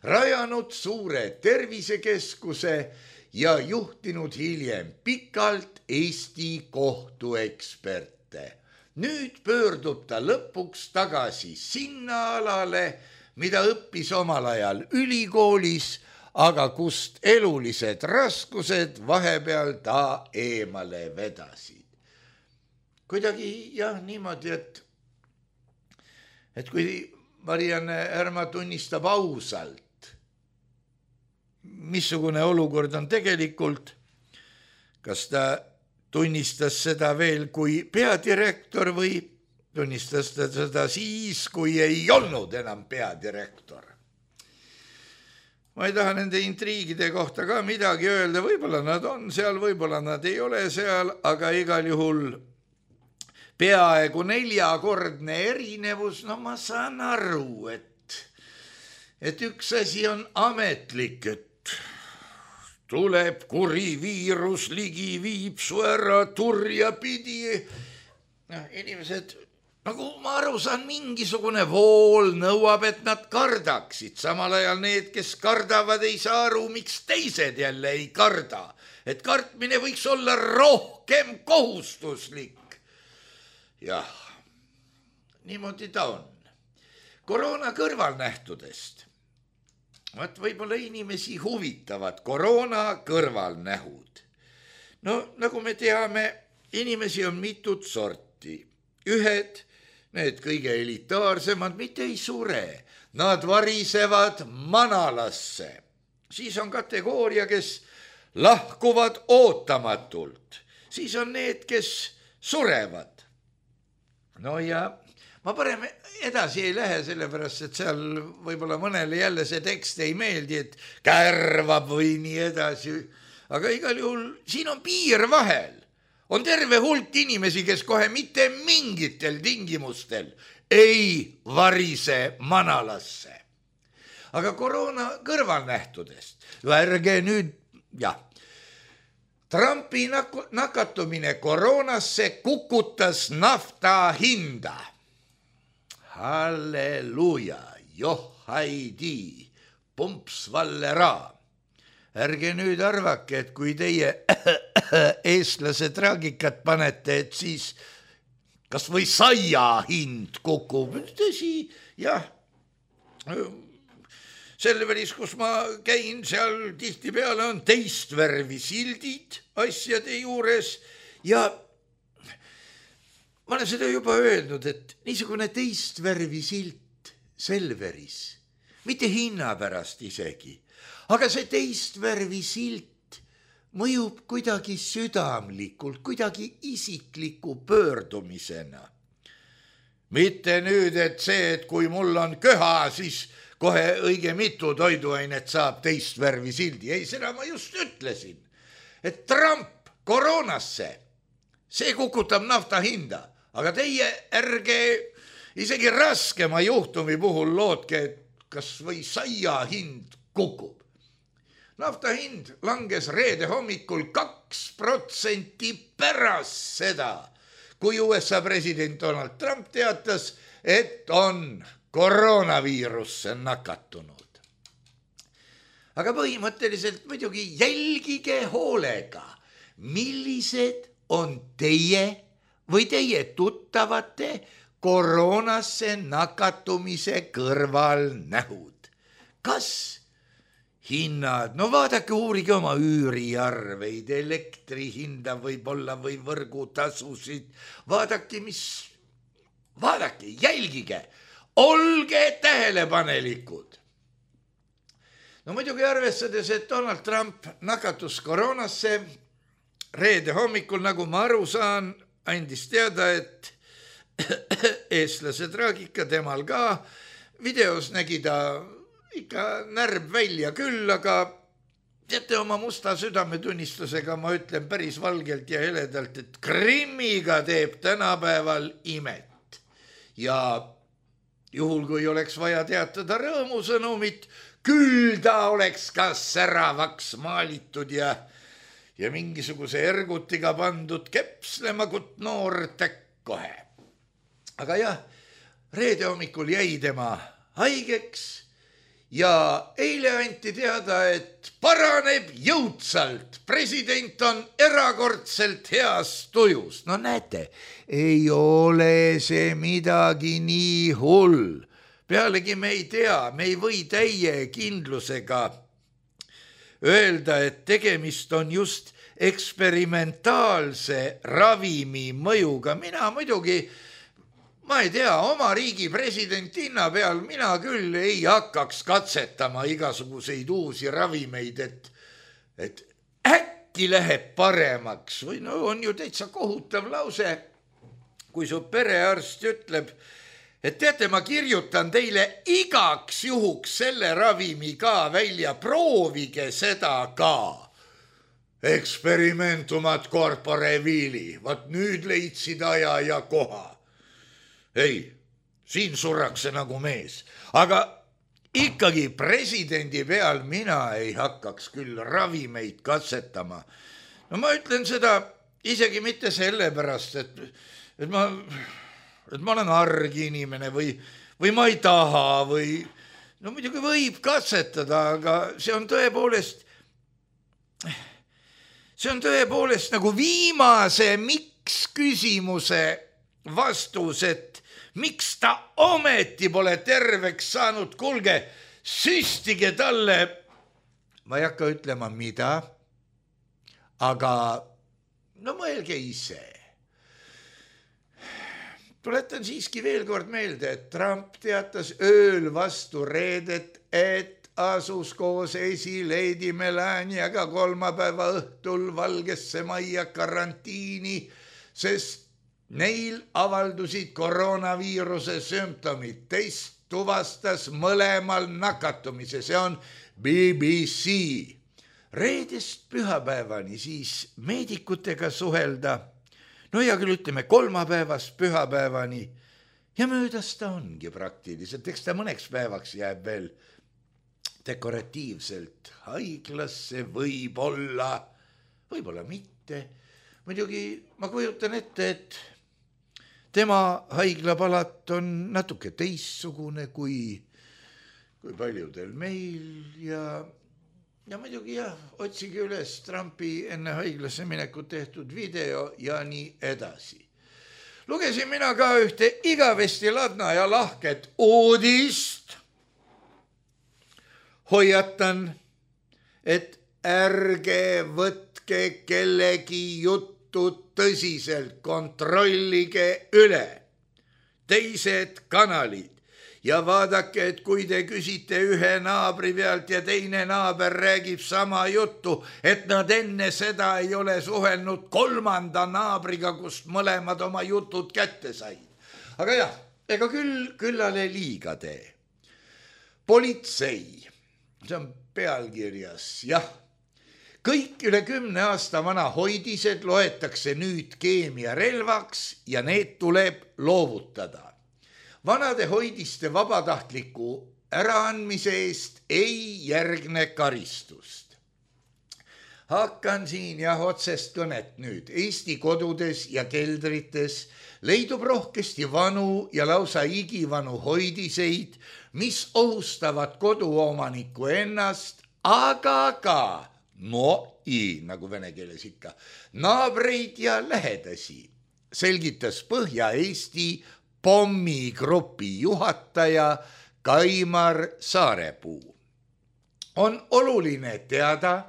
rajanud suure tervisekeskuse ja juhtinud hiljem pikalt Eesti kohtueksperte. Nüüd pöördub ta lõpuks tagasi sinna alale, mida õppis omal ajal ülikoolis, aga kust elulised raskused vahepeal ta eemale vedasid. Kuidagi jah niimoodi, et kui Marianne Härma tunnistab ausalt, missugune olukord on tegelikult, kas ta tunnistas seda veel kui peadirektor või tunnistas ta seda siis, kui ei olnud enam peadirektor. Ma ei taha nende intriigide kohta ka midagi öelda, võib-olla nad on seal, võib-olla nad ei ole seal, aga igal juhul peaaegu 4-kordne erinevus, no ma saan aru, et üks asi on ametlik, et tuleb kuri viirus ligi, viib su ära turja pidi. Inimesed, nagu ma aru saan, mingisugune vool nõuab, et nad kardaksid. Samal ajal need, kes kardavad, ei saa aru, miks teised jälle ei karda. Et kartmine võiks olla rohkem kohustuslik. Jah, niimoodi ta on. Koroona kõrvalnähtudest. Võib-olla inimesi huvitavad koroona kõrvalnähud. No nagu me teame, inimesi on mitut sorti. Ühed, need kõige elitaarsemad, mitte ei sure. Nad varisevad manalasse. Siis on kategooria, kes lahkuvad ootamatult. Siis on need, kes surevad. No ja ma parem edasi ei lähe, sellepärast, et seal võib-olla mõnele jälle see tekst ei meeldi, et kärvab või nii edasi. Aga igal juhul siin on piir vahel. On terve hulk inimesi, kes kohe mitte mingitel tingimustel ei varise manalasse. Aga koroona kõrvalnähtudest. Ärge nüüd, jah. Trumpi nakatumine koroonasse kukutas nafta hinda. Halleluja, johaidi, pumps vallera. Ärge nüüd arvake, et kui teie eestlase traagikat panete, et siis kas või saia hind kukub. Tõsi, jah. Selveris, kus ma käin, seal tihti peale on teist värvi sildid asjade juures ja ma olen seda juba öelnud, et niisugune teist värvi silt Selveris, mitte hinna pärast isegi, aga see teist värvi silt mõjub kuidagi südamlikult, kuidagi isikliku pöördumisena. Mitte nüüd, et see, et kui mul on köha, siis kohe õige mitu toiduainet saab teist värvi sildi. Ei, seda ma just ütlesin, et Trump koroonasse, see kukutab nafta hinda, aga teie ärge isegi raskema juhtumi puhul lootke, et kas või saia hind kukub. Nafta hind langes reede hommikul 2% pärast seda, kui USA president Donald Trump teatas, et on koroonaviirusse nakatunud. Aga põhimõtteliselt muidugi jälgige hoolega, millised on teie või teie tuttavate koroonasse nakatumise kõrvalnähud. Kas hinnad, no vaadake, uurige oma üüriarveid, elektri hinda võib-olla või võrgutasusid, vaadake, jälgige, olge tähelepanelikud. No muidugi arvestades, et Donald Trump nakatus koroonasse reede hommikul, nagu ma aru saan, andis teada, et eestlase traagika temal ka. Videos nägi ta ikka närb välja küll, aga teate, oma musta südametunnistusega ma ütlen päris valgelt ja heledalt, et Krimmiga teeb tänapäeval imet. Ja juhul kui oleks vaja teatada rõõmusõnumit, küll ta oleks ka säravaks maalitud ja mingisuguse ergutiga pandud kepslema, kut noor täkk kohe. Aga jah, reede hommikul jäi tema haigeks ja eile anti teada, et paraneb jõudsalt. President on erakordselt heas tujus. No näete, ei ole see midagi nii hull. Pealegi me ei tea, me ei või täie kindlusega öelda, et tegemist on just eksperimentaalse ravimi mõjuga. Mina muidugi, ma ei tea, oma riigi presidentina peal mina küll ei hakkaks katsetama igasuguseid uusi ravimeid, et äkki läheb paremaks. Või no on ju täitsa kohutav lause, kui su perearst ütleb, et teate, ma kirjutan teile igaks juhuks selle ravimi ka välja, proovige seda ka. Experimentumat corpore vili, vaat nüüd leidsid aja ja koha. Ei, siin surrakse nagu mees, aga ikkagi presidendi peal mina ei hakkaks küll ravimeid katsetama. No ma ütlen seda isegi mitte sellepärast, et ma olen arg inimene või ma ei taha või no muidugi võib katsetada, aga see on tõepoolest nagu viimase miks küsimuse vastus, et miks ta ometi pole terveks saanud. Kuulge, süstige talle, ma ei hakka ütlema mida, aga no mõelge ise. Tuletan siiski veel kord meelde, et Trump teatas ööl vastu reedet, et asus koos esileedi Melaniaga kolmapäeva õhtul Valgesse Majja karantiini, sest neil avaldusid koroonaviiruse sümptomid. Teist tuvastas mõlemal nakatumise, see on BBC. Reedest pühapäevani siis meedikutega suhelda. No ja küll ütleme kolmapäevast pühapäevani ja möödas ta ongi praktiliselt, eks ta mõneks päevaks jääb veel dekoratiivselt haiglasse, võib-olla mitte. Muidugi ma kujutan ette, et tema haiglapalat on natuke teissugune kui paljudel meil ja muidugi jah, otsige üles Trumpi enne haiglasse minekut tehtud video ja nii edasi. Lugesin mina ka ühte igavesti ladna ja lahket uudist. Hoiatan, et ärge võtke kellegi juttu tõsiselt, kontrollige üle teised kanalid. Ja vaadake, et kui te küsite ühe naabri pealt ja teine naaber räägib sama juttu, et nad enne seda ei ole suhelnud kolmanda naabriga, kust mõlemad oma jutud kätte said. Aga jah, ega küllale liiga tee. Politsei, see on pealkirjas, jah. Kõik üle 10 aasta vana hoidised loetakse nüüd keemiarelvaks ja need tuleb loovutada. Vanade hoidiste vabatahtliku äraandmise eest ei järgne karistust. Hakkan siin otsest kõnet nüüd. Eesti kodudes ja keldrites leidub rohkesti vanu ja lausa igivanu hoidiseid, mis ohustavad koduomaniku ennast, aga ka, nagu vene keeles ikka, naabreid ja lähedasi, selgitas Põhja-Eesti pommigrupi juhataja Kaimar Saarepuu. On oluline teada,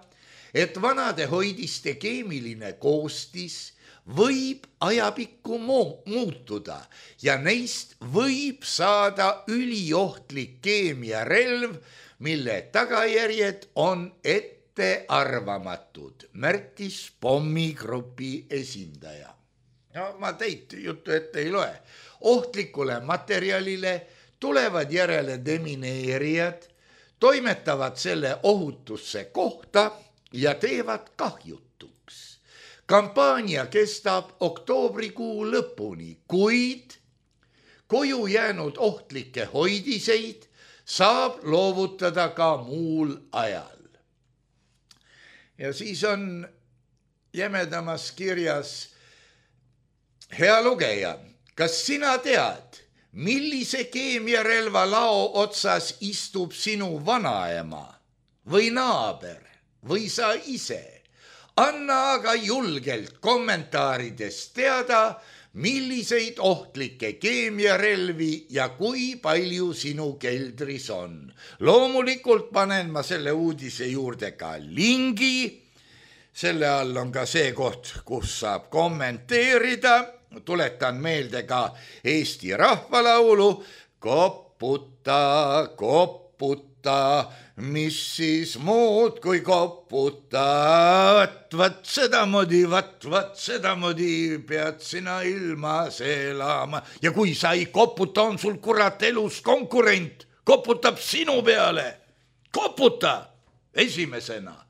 et vanade hoidiste keemiline koostis võib ajapikku muutuda ja neist võib saada üliohtlik keemiarelv, mille tagajärjed on ettearvamatud, märkis pommigrupi esindaja. No ma teit juttu ette ei loe. Ohtlikule materjalile tulevad järele demineerijad, toimetavad selle ohutusse kohta ja teevad kahjutuks. Kampaania kestab oktoobrikuu lõpuni, kuid koju jäänud ohtlikke hoidiseid saab loovutada ka muul ajal. Ja siis on jämedamas kirjas: hea lugeja, kas sina tead, millise keemiarelva lao otsas istub sinu vanaema või naaber või sa ise? Anna aga julgelt kommentaarides teada, milliseid ohtlikke keemiarelvi ja kui palju sinu keldris on. Loomulikult panen ma selle uudise juurde ka lingi. Selle all on ka see koht, kus saab kommenteerida. Tuletan meelde ka Eesti rahvalaulu. Koputa, koputa, mis siis muud kui koputa. Vat sedamoodi pead sina ilmas elama. Ja kui sa ei koputa, on sul kurat elus konkurent. Koputab sinu peale. Koputa esimesena.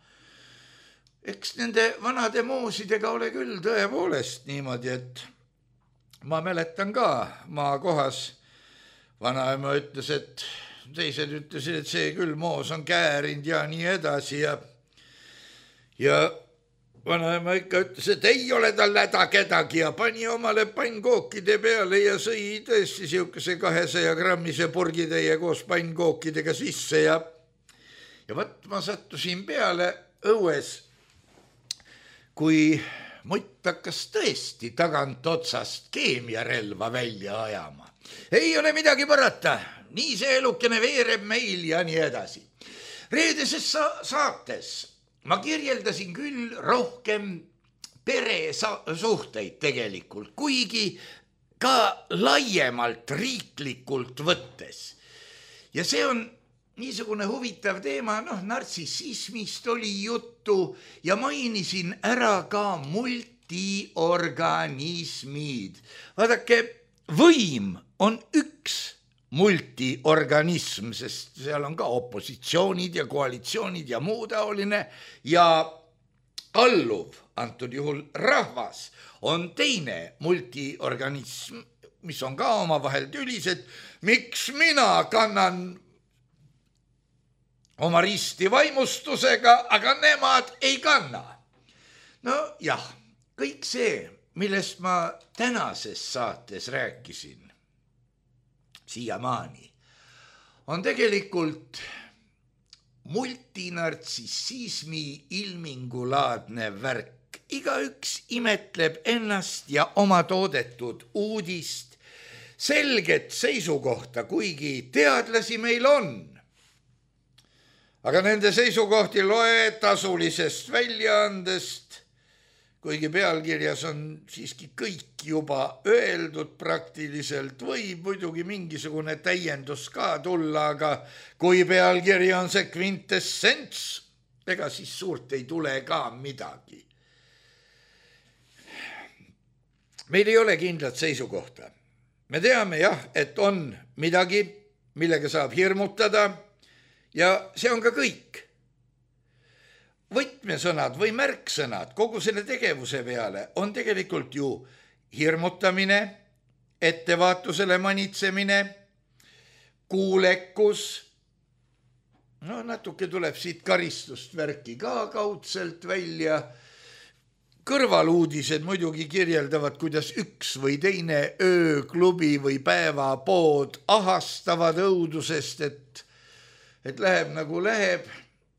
Eks nende vanade moosidega ole küll tõepoolest niimoodi, et ma mäletan ka maakohas. Vanaema ütles, et teised ütlesid, et see küll moos on käärind ja nii edasi. Ja vanaema ikka ütles, et ei ole tal häda kedagi ja pani omale pannkookide peale ja sõi tõesti siukese 200 grammise purgitäie koos pannkookidega sisse. Ja võt ma sattusin peale õues, kui mutt hakkas tõesti tagant otsast keemiarelva välja ajama. Ei ole midagi parata, nii see elukene veereb meil ja nii edasi. Reedeses saates ma kirjeldasin küll rohkem peresuhteid tegelikult, kuigi ka laiemalt riiklikult võttes. Ja see on niisugune huvitav teema, nartsissismist oli juttu ja mainisin ära ka multiorganismid. Vaadake, võim on üks multiorganism, sest seal on ka opositsioonid ja koalitsioonid ja muu taoline ja alluv, antud juhul rahvas, on teine multiorganism, mis on ka omavahel tülised. Miks mina kannan oma risti vaimustusega, aga nemad ei kanna? No jah, kõik see, millest ma tänases saates rääkisin, siiamaani, on tegelikult multinartsissismi ilmingulaadne värk. Igaüks imetleb ennast ja oma toodetud uudist, selget seisukohta, kuigi teadlasi meil on. Aga nende seisukohti loe tasulisest väljaandest, kuigi pealkirjas on siiski kõik juba öeldud praktiliselt, võib muidugi mingisugune täiendus ka tulla, aga kui pealkiri on see kvintessents, ega siis suurt ei tule ka midagi. Meil ei ole kindlat seisukohta. Me teame jah, et on midagi, millega saab hirmutada, ja see on ka kõik. Võtmesõnad või märksõnad kogu selle tegevuse peale on tegelikult ju hirmutamine, ettevaatusele manitsemine, kuulekus. Natuke tuleb siit karistust värki ka kaudselt välja. Kõrvaluudised muidugi kirjeldavad, kuidas üks või teine ööklubi või päevapood ahastavad õudusest, et läheb nagu läheb,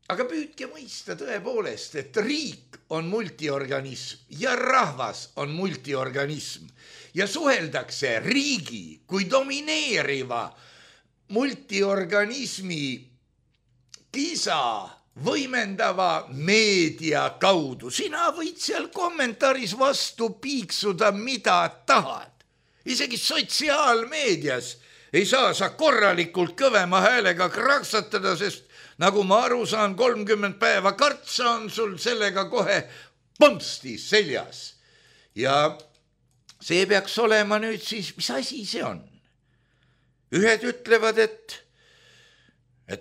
aga püüdke mõista tõepoolest, et riik on multiorganism ja rahvas on multiorganism ja suheldakse riigi kui domineeriva multiorganismi kisa võimendava meedia kaudu. Sina võid seal kommentaaris vastu piiksuda, mida tahad. Isegi sotsiaalmeedias ei saa sa korralikult kõvema häälega kraksatada, sest nagu ma aru saan, 30 päeva kartsa on sul sellega kohe põmsti seljas. Ja see peaks olema nüüd siis, mis asi see on? Ühed ütlevad, et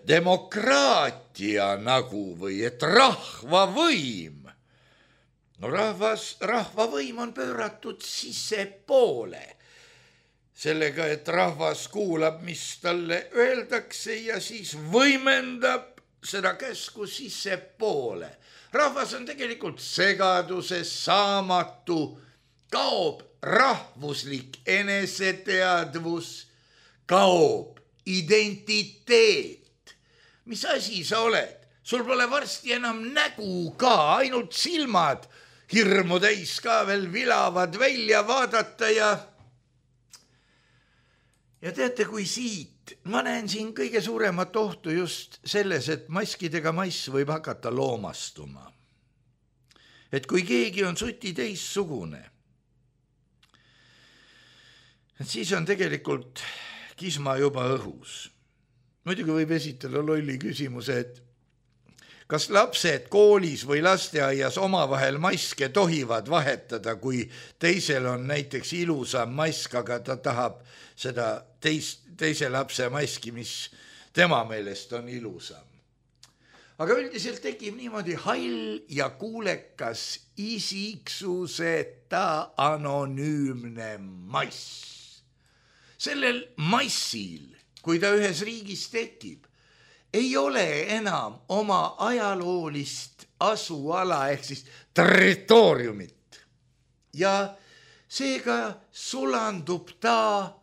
demokraatia nagu või et rahvavõim. No rahvavõim on pööratud sissepoole. sellega, et rahvas kuulab, mis talle öeldakse ja siis võimendab seda käsku sissepoole. Rahvas on tegelikult segaduses, saamatu, kaob rahvuslik eneseteadvus, kaob identiteet. Mis asi sa oled? Sul pole varsti enam nägu ka, ainult silmad hirmu täis ka veel vilavad välja vaadata ja teate, kui siit, ma näen siin kõige suuremat ohtu just selles, et maskidega mass võib hakata loomastuma. Et kui keegi on suti teissugune, et siis on tegelikult kisma juba õhus. Muidugi võib esitada lolli küsimuse, et kas lapsed koolis või lasteaias omavahel maske tohivad vahetada, kui teisel on näiteks ilusam mask, aga ta tahab seda teise lapse maski, mis tema meelest on ilusam. Aga üldiselt tekib niimoodi hall ja kuulekas isiksuseta anonüümne mass. Sellel massil, kui ta ühes riigis tekib, ei ole enam oma ajaloolist asuala ehk siis territooriumit. Ja seega sulandub ta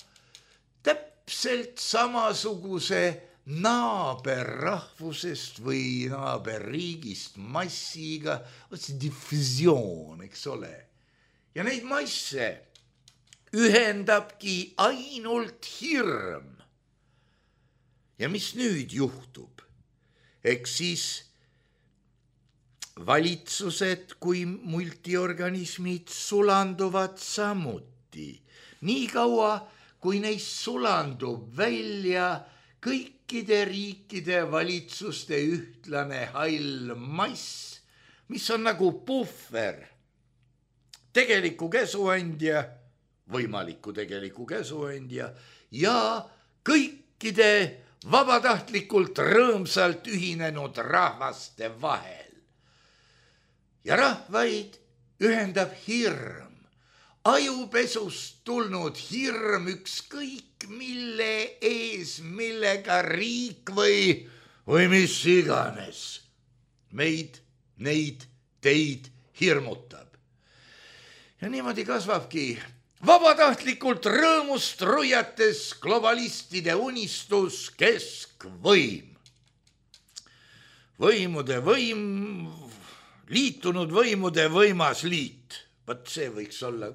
täpselt samasuguse naaberrahvusest või naaberriigist massiga, see diffusioon, eks ole. Ja neid masse ühendabki ainult hirm. Ja mis nüüd juhtub? Eks siis valitsused kui multiorganismid sulanduvad samuti. Nii kaua, kui neist sulandub välja kõikide riikide valitsuste ühtlane hall mass, mis on nagu puhver, tegeliku käsuandja, võimaliku tegeliku käsuandja ja kõikide vabatahtlikult rõõmsalt ühinenud rahvaste vahel. Ja rahvaid ühendab hirm, ajupesust tulnud hirm ükskõik mille ees, millega riik või mis iganes meid, neid, teid hirmutab. Ja niimoodi kasvabki vabatahtlikult rõõmust ruiates globalistide unistus keskvõim. Võimude võim, liitunud võimude võimas liit. Vaat see võiks olla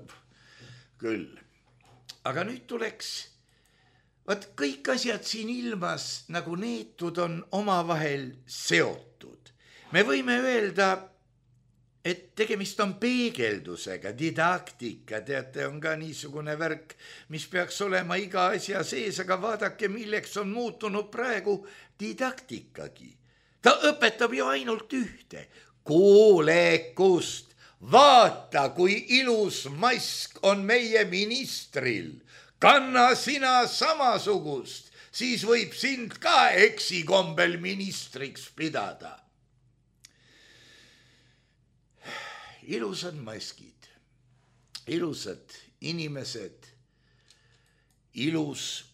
küll. Aga nüüd tuleks, vaat kõik asjad siin ilmas nagu neetud on omavahel seotud. Me võime öelda, et tegemist on peegeldusega, didaktika, teate, on ka niisugune värk, mis peaks olema iga asja sees, aga vaadake, milleks on muutunud praegu didaktikagi. Ta õpetab ju ainult ühte, kuulekust. Vaata, kui ilus mask on meie ministril. Kanna sina samasugust, siis võib sind ka eksikombel ministriks pidada. Ilusad maskid, ilusad inimesed, ilus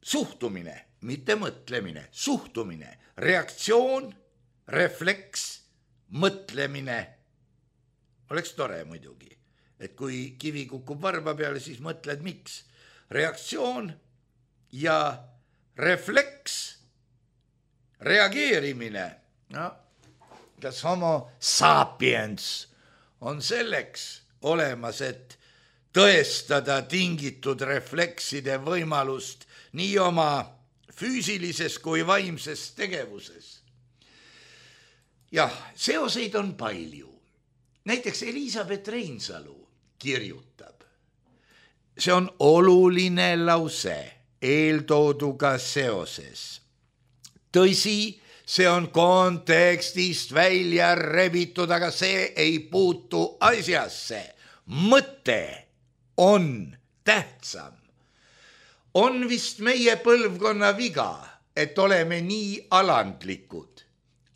suhtumine, mitte mõtlemine, suhtumine, reaktsioon, refleks, mõtlemine. Oleks tore muidugi, et kui kivi kukub varba peale, siis mõtled miks. Reaktsioon ja refleks, reageerimine, no, kas homo sapiens on selleks olemas, et tõestada tingitud reflekside võimalust nii oma füüsilises kui vaimses tegevuses. Jah, seoseid on palju. Näiteks Elisabeth Reinsalu kirjutab. See on oluline lause eeltooduga seoses. Tõsi, see on kontekstist välja rebitud, aga see ei puutu asjasse. Mõte on tähtsam. On vist meie põlvkonna viga, et oleme nii alandlikud.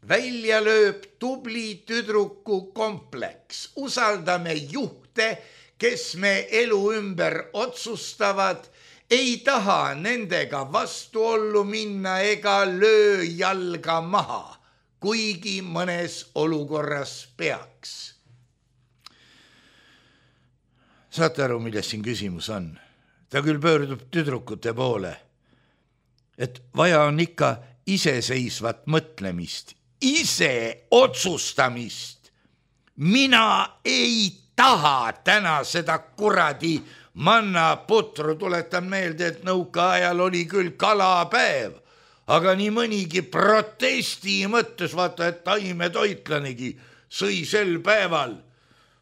Välja lööb tubli tüdruku kompleks. Usaldame juhte, kes me elu ümber otsustavad, ei taha nendega vastuollu minna ega löö jalga maha, kuigi mõnes olukorras peaks. Saate aru, milles siin küsimus on? Ta küll pöördub tüdrukute poole, et vaja on ikka iseseisvat mõtlemist, ise otsustamist. Mina ei taha täna seda kuradi mannaputru, tuletan meelde, et nõukaajal oli küll kalapäev, aga nii mõnigi protesti mõttes, vaata, et taimetoitlanegi sõi sel päeval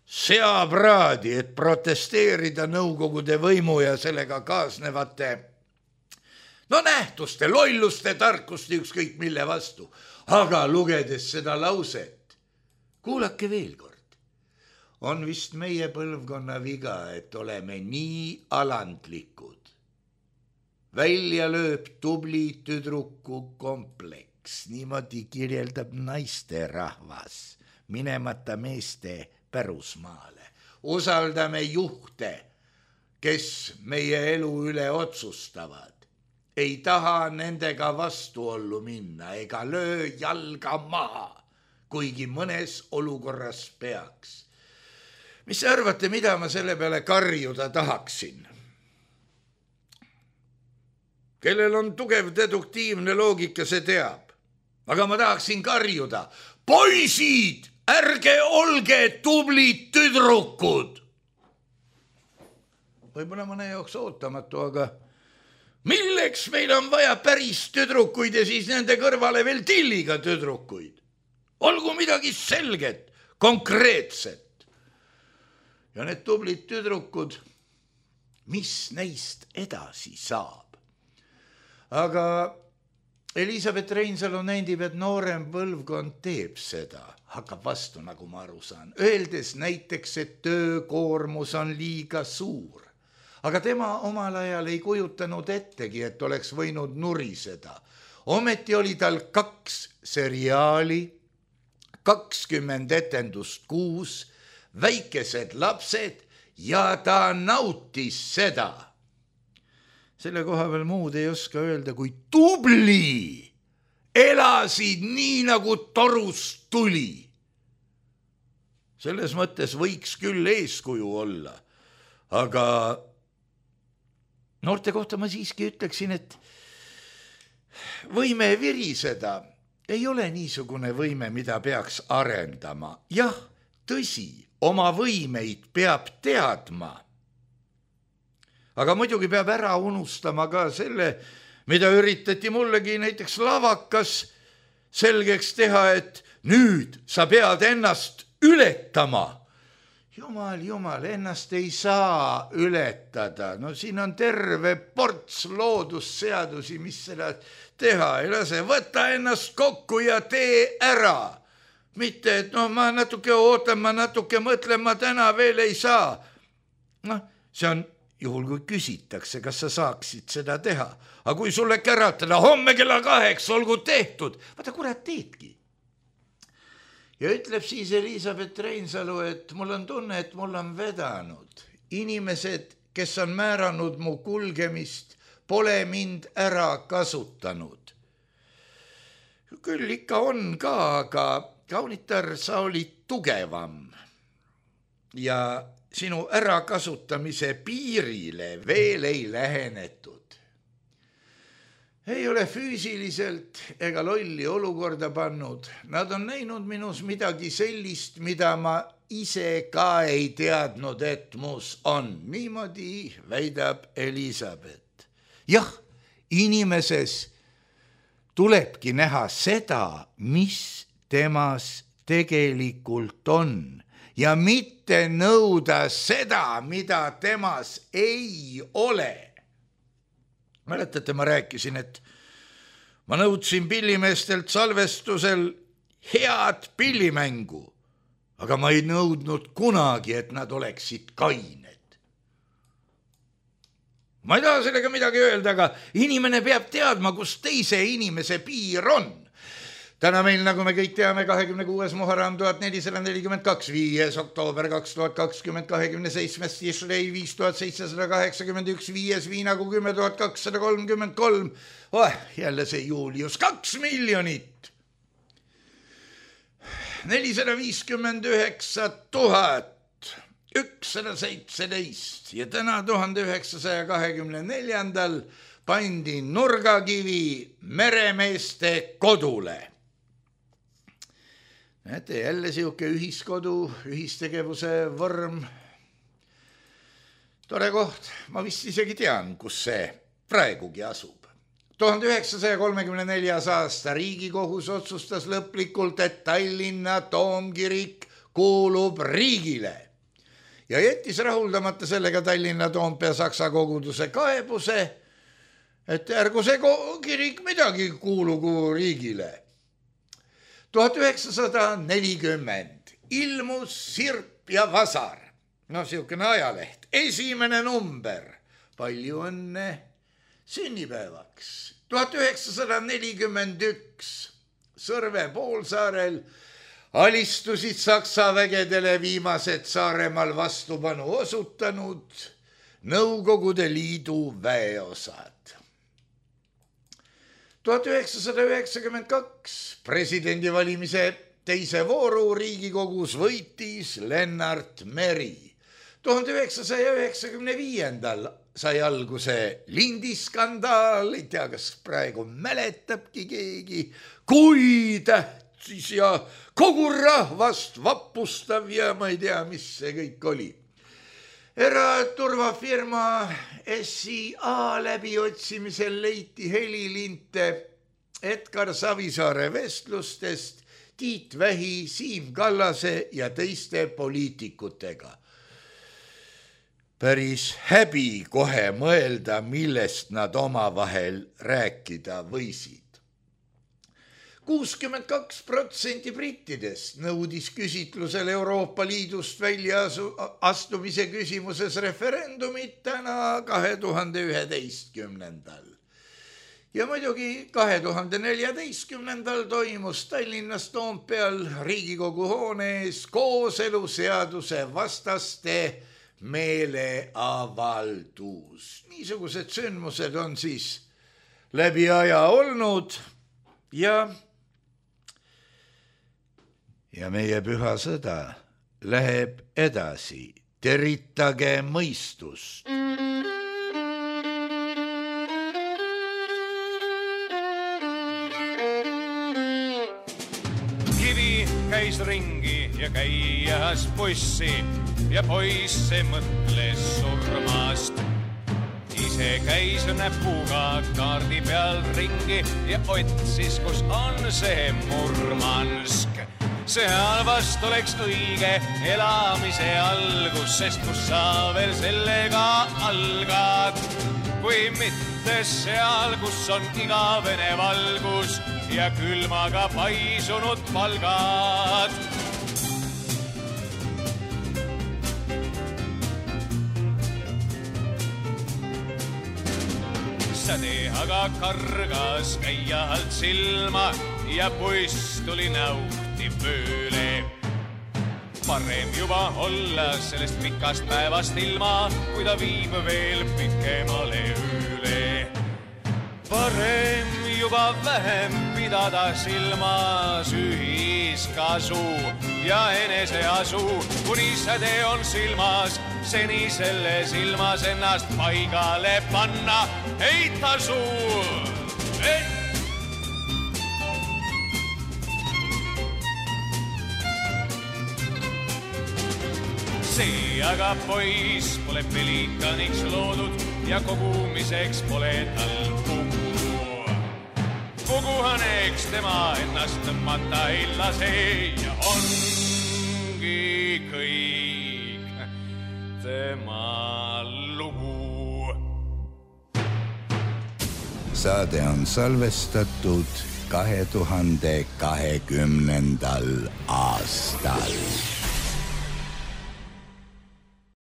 seapraadi, et protesteerida nõukogude võimu ja sellega kaasnevate nähtuste, lolluste, tarkuste, ükskõik mille vastu. Aga lugedes seda lauset, kuulake veel kord, on vist meie põlvkonna viga, et oleme nii alandlikud. Välja lööb tubli tüdruku kompleks, niimoodi kirjeldab naisterahvas, minemata meeste pärusmaale. Usaldame juhte, kes meie elu üle otsustavad. Ei taha nendega vastuollu minna ega löö jalga maha, kuigi mõnes olukorras peaks. Mis te arvate, mida ma selle peale karjuda tahaksin? Kellel on tugev deduktiivne loogika, see teab. Aga ma tahaksin karjuda. Poisid! Ärge olge tublid tüdrukud. Võib-olla mõne jaoks ootamatu, aga milleks meil on vaja päris tüdrukuid ja siis nende kõrvale veel tilliga tüdrukuid? Olgu midagi selget, konkreetset. Ja need tublid tüdrukud, mis neist edasi saab? Aga Elisabeth Reinsalu nendib, et noorem põlvkond teeb seda, hakkab vastu, nagu ma aru saan, öeldes näiteks, et töökoormus on liiga suur. Aga tema omal ajal ei kujutanud ettegi, et oleks võinud nuriseda. Ometi oli tal 2 seriaali, 20 etendust kuus, väikesed lapsed ja ta nautis seda. Selle koha veel muud ei oska öelda, kui tubli, elasid nii nagu torust tuli. Selles mõttes võiks küll eeskuju olla, aga noorte kohta ma siiski ütleksin, et võime viriseda ei ole niisugune võime, mida peaks arendama. Jah, tõsi, oma võimeid peab teadma. Aga muidugi peab ära unustama ka selle, mida üritati mullegi näiteks lavakas selgeks teha, et nüüd sa pead ennast ületama. Jumal, ennast ei saa ületada. No siin on terve ports loodusseadusi, mis seda teha ei lase. Võta ennast kokku ja tee ära. Mitte, et ma natuke ootan, ma natuke mõtlen, ma täna veel ei saa. See on juhul, kui küsitakse, kas sa saaksid seda teha. Aga kui sulle käratada, homme kella 8 olgu tehtud. Vaata, kurat teedki. Ja ütleb siis Elisabeth Reinsalu, et mul on tunne, et mul on vedanud. Inimesed, kes on määranud mu kulgemist, pole mind ära kasutanud. Küll ikka on ka, aga kaunitar, sa olid tugevam. Ja sinu ärakasutamise piirile veel ei lähenetud. Ei ole füüsiliselt ega lolli olukorda pannud. Nad on näinud minus midagi sellist, mida ma ise ka ei teadnud, et mus on. Niimoodi väidab Elisabeth. Jah, inimeses tulebki näha seda, mis temas tegelikult on. Ja mitte nõuda seda, mida temas ei ole. Mäletate, ma rääkisin, et ma nõudsin pillimeestelt salvestusel head pillimängu, aga ma ei nõudnud kunagi, et nad oleksid kained. Ma ei taha sellega midagi öelda, aga inimene peab teadma, kus teise inimese piir on. Täna meil, nagu me kõik teame, 26. Muharram 1442, 5. oktoober 2020, 27. Tishrei 5781, 5. Viinagu 10233. Jälle see Julius, 2 miljonit. 459 117 ja täna 1924. pandi nurgakivi meremeeste kodule. Näete, jälle siuke ühiskodu, ühistegevuse vorm. Tore koht, ma vist isegi tean, kus see praegugi asub. 1934. aasta Riigikohus otsustas lõplikult, et Tallinna Toomkirik kuulub riigile ja jättis rahuldamata sellega Tallinna Toompea Saksa koguduse kaebuse, et ärgu see kirik midagi kuulugu riigile. 1940 ilmus Sirp ja Vasar, siukene ajaleht, esimene number, palju õnne sünnipäevaks. 1941 Sõrve poolsaarel alistusid Saksa vägedele viimased Saaremaal vastupanu osutanud Nõukogude Liidu väeosad. 1992 presidendivalimise teise vooru Riigikogus võitis Lennart Meri. 1995. sai alguse lindiskandaal, ei tea, kas praegu mäletabki keegi, kui tähtis ja kogu rahvast vapustav ja ma ei tea, mis see kõik oli. Eraturvafirma SIA läbiotsimisel leiti helilinte Edgar Savisaare vestlustest Tiit Vähi, Siim Kallase ja teiste poliitikutega. Päris häbi kohe mõelda, millest nad omavahel rääkida võisid. 62% brittidest nõudis küsitlusel Euroopa Liidust välja astumise küsimuses referendumit täna 2011. Ja muidugi 2014. toimus Tallinnas Toompeal Riigikogu hoone ees kooseluseaduse vastaste meeleavaldus. Niisugused sündmused on siis läbi aja olnud ja meie püha sõda läheb edasi. Teritage mõistust. Kivi käis ringi ja käijas bussi ja poiss see mõtles surmast. Ise käis näpuga kaardi peal ringi ja otsis, kus on see Murmansk. Seal vast oleks õige elamise algus, sest kus sa veel sellega algad. Kui mitte seal, kus on igavene valgus ja külmaga paisunud palgad. Säde aga kargas käia alt silma ja buss tuli nauti pööle. Parem juba olla sellest pikast päevast ilma, kui ta viib veel pikemale ööle. Parem juba vähem pidada silmas ühiskasu ja eneseasu, kuni säde on silmas, seni selle silmas ennast paigale panna ei tasu. See aga poiss pole pelikaniks loodud ja kogumiseks pole tal pugu. Puguhaneks tema ennast tõmmata ei lase ja ongi kõik tema lugu. Saade on salvestatud 2020. aastal.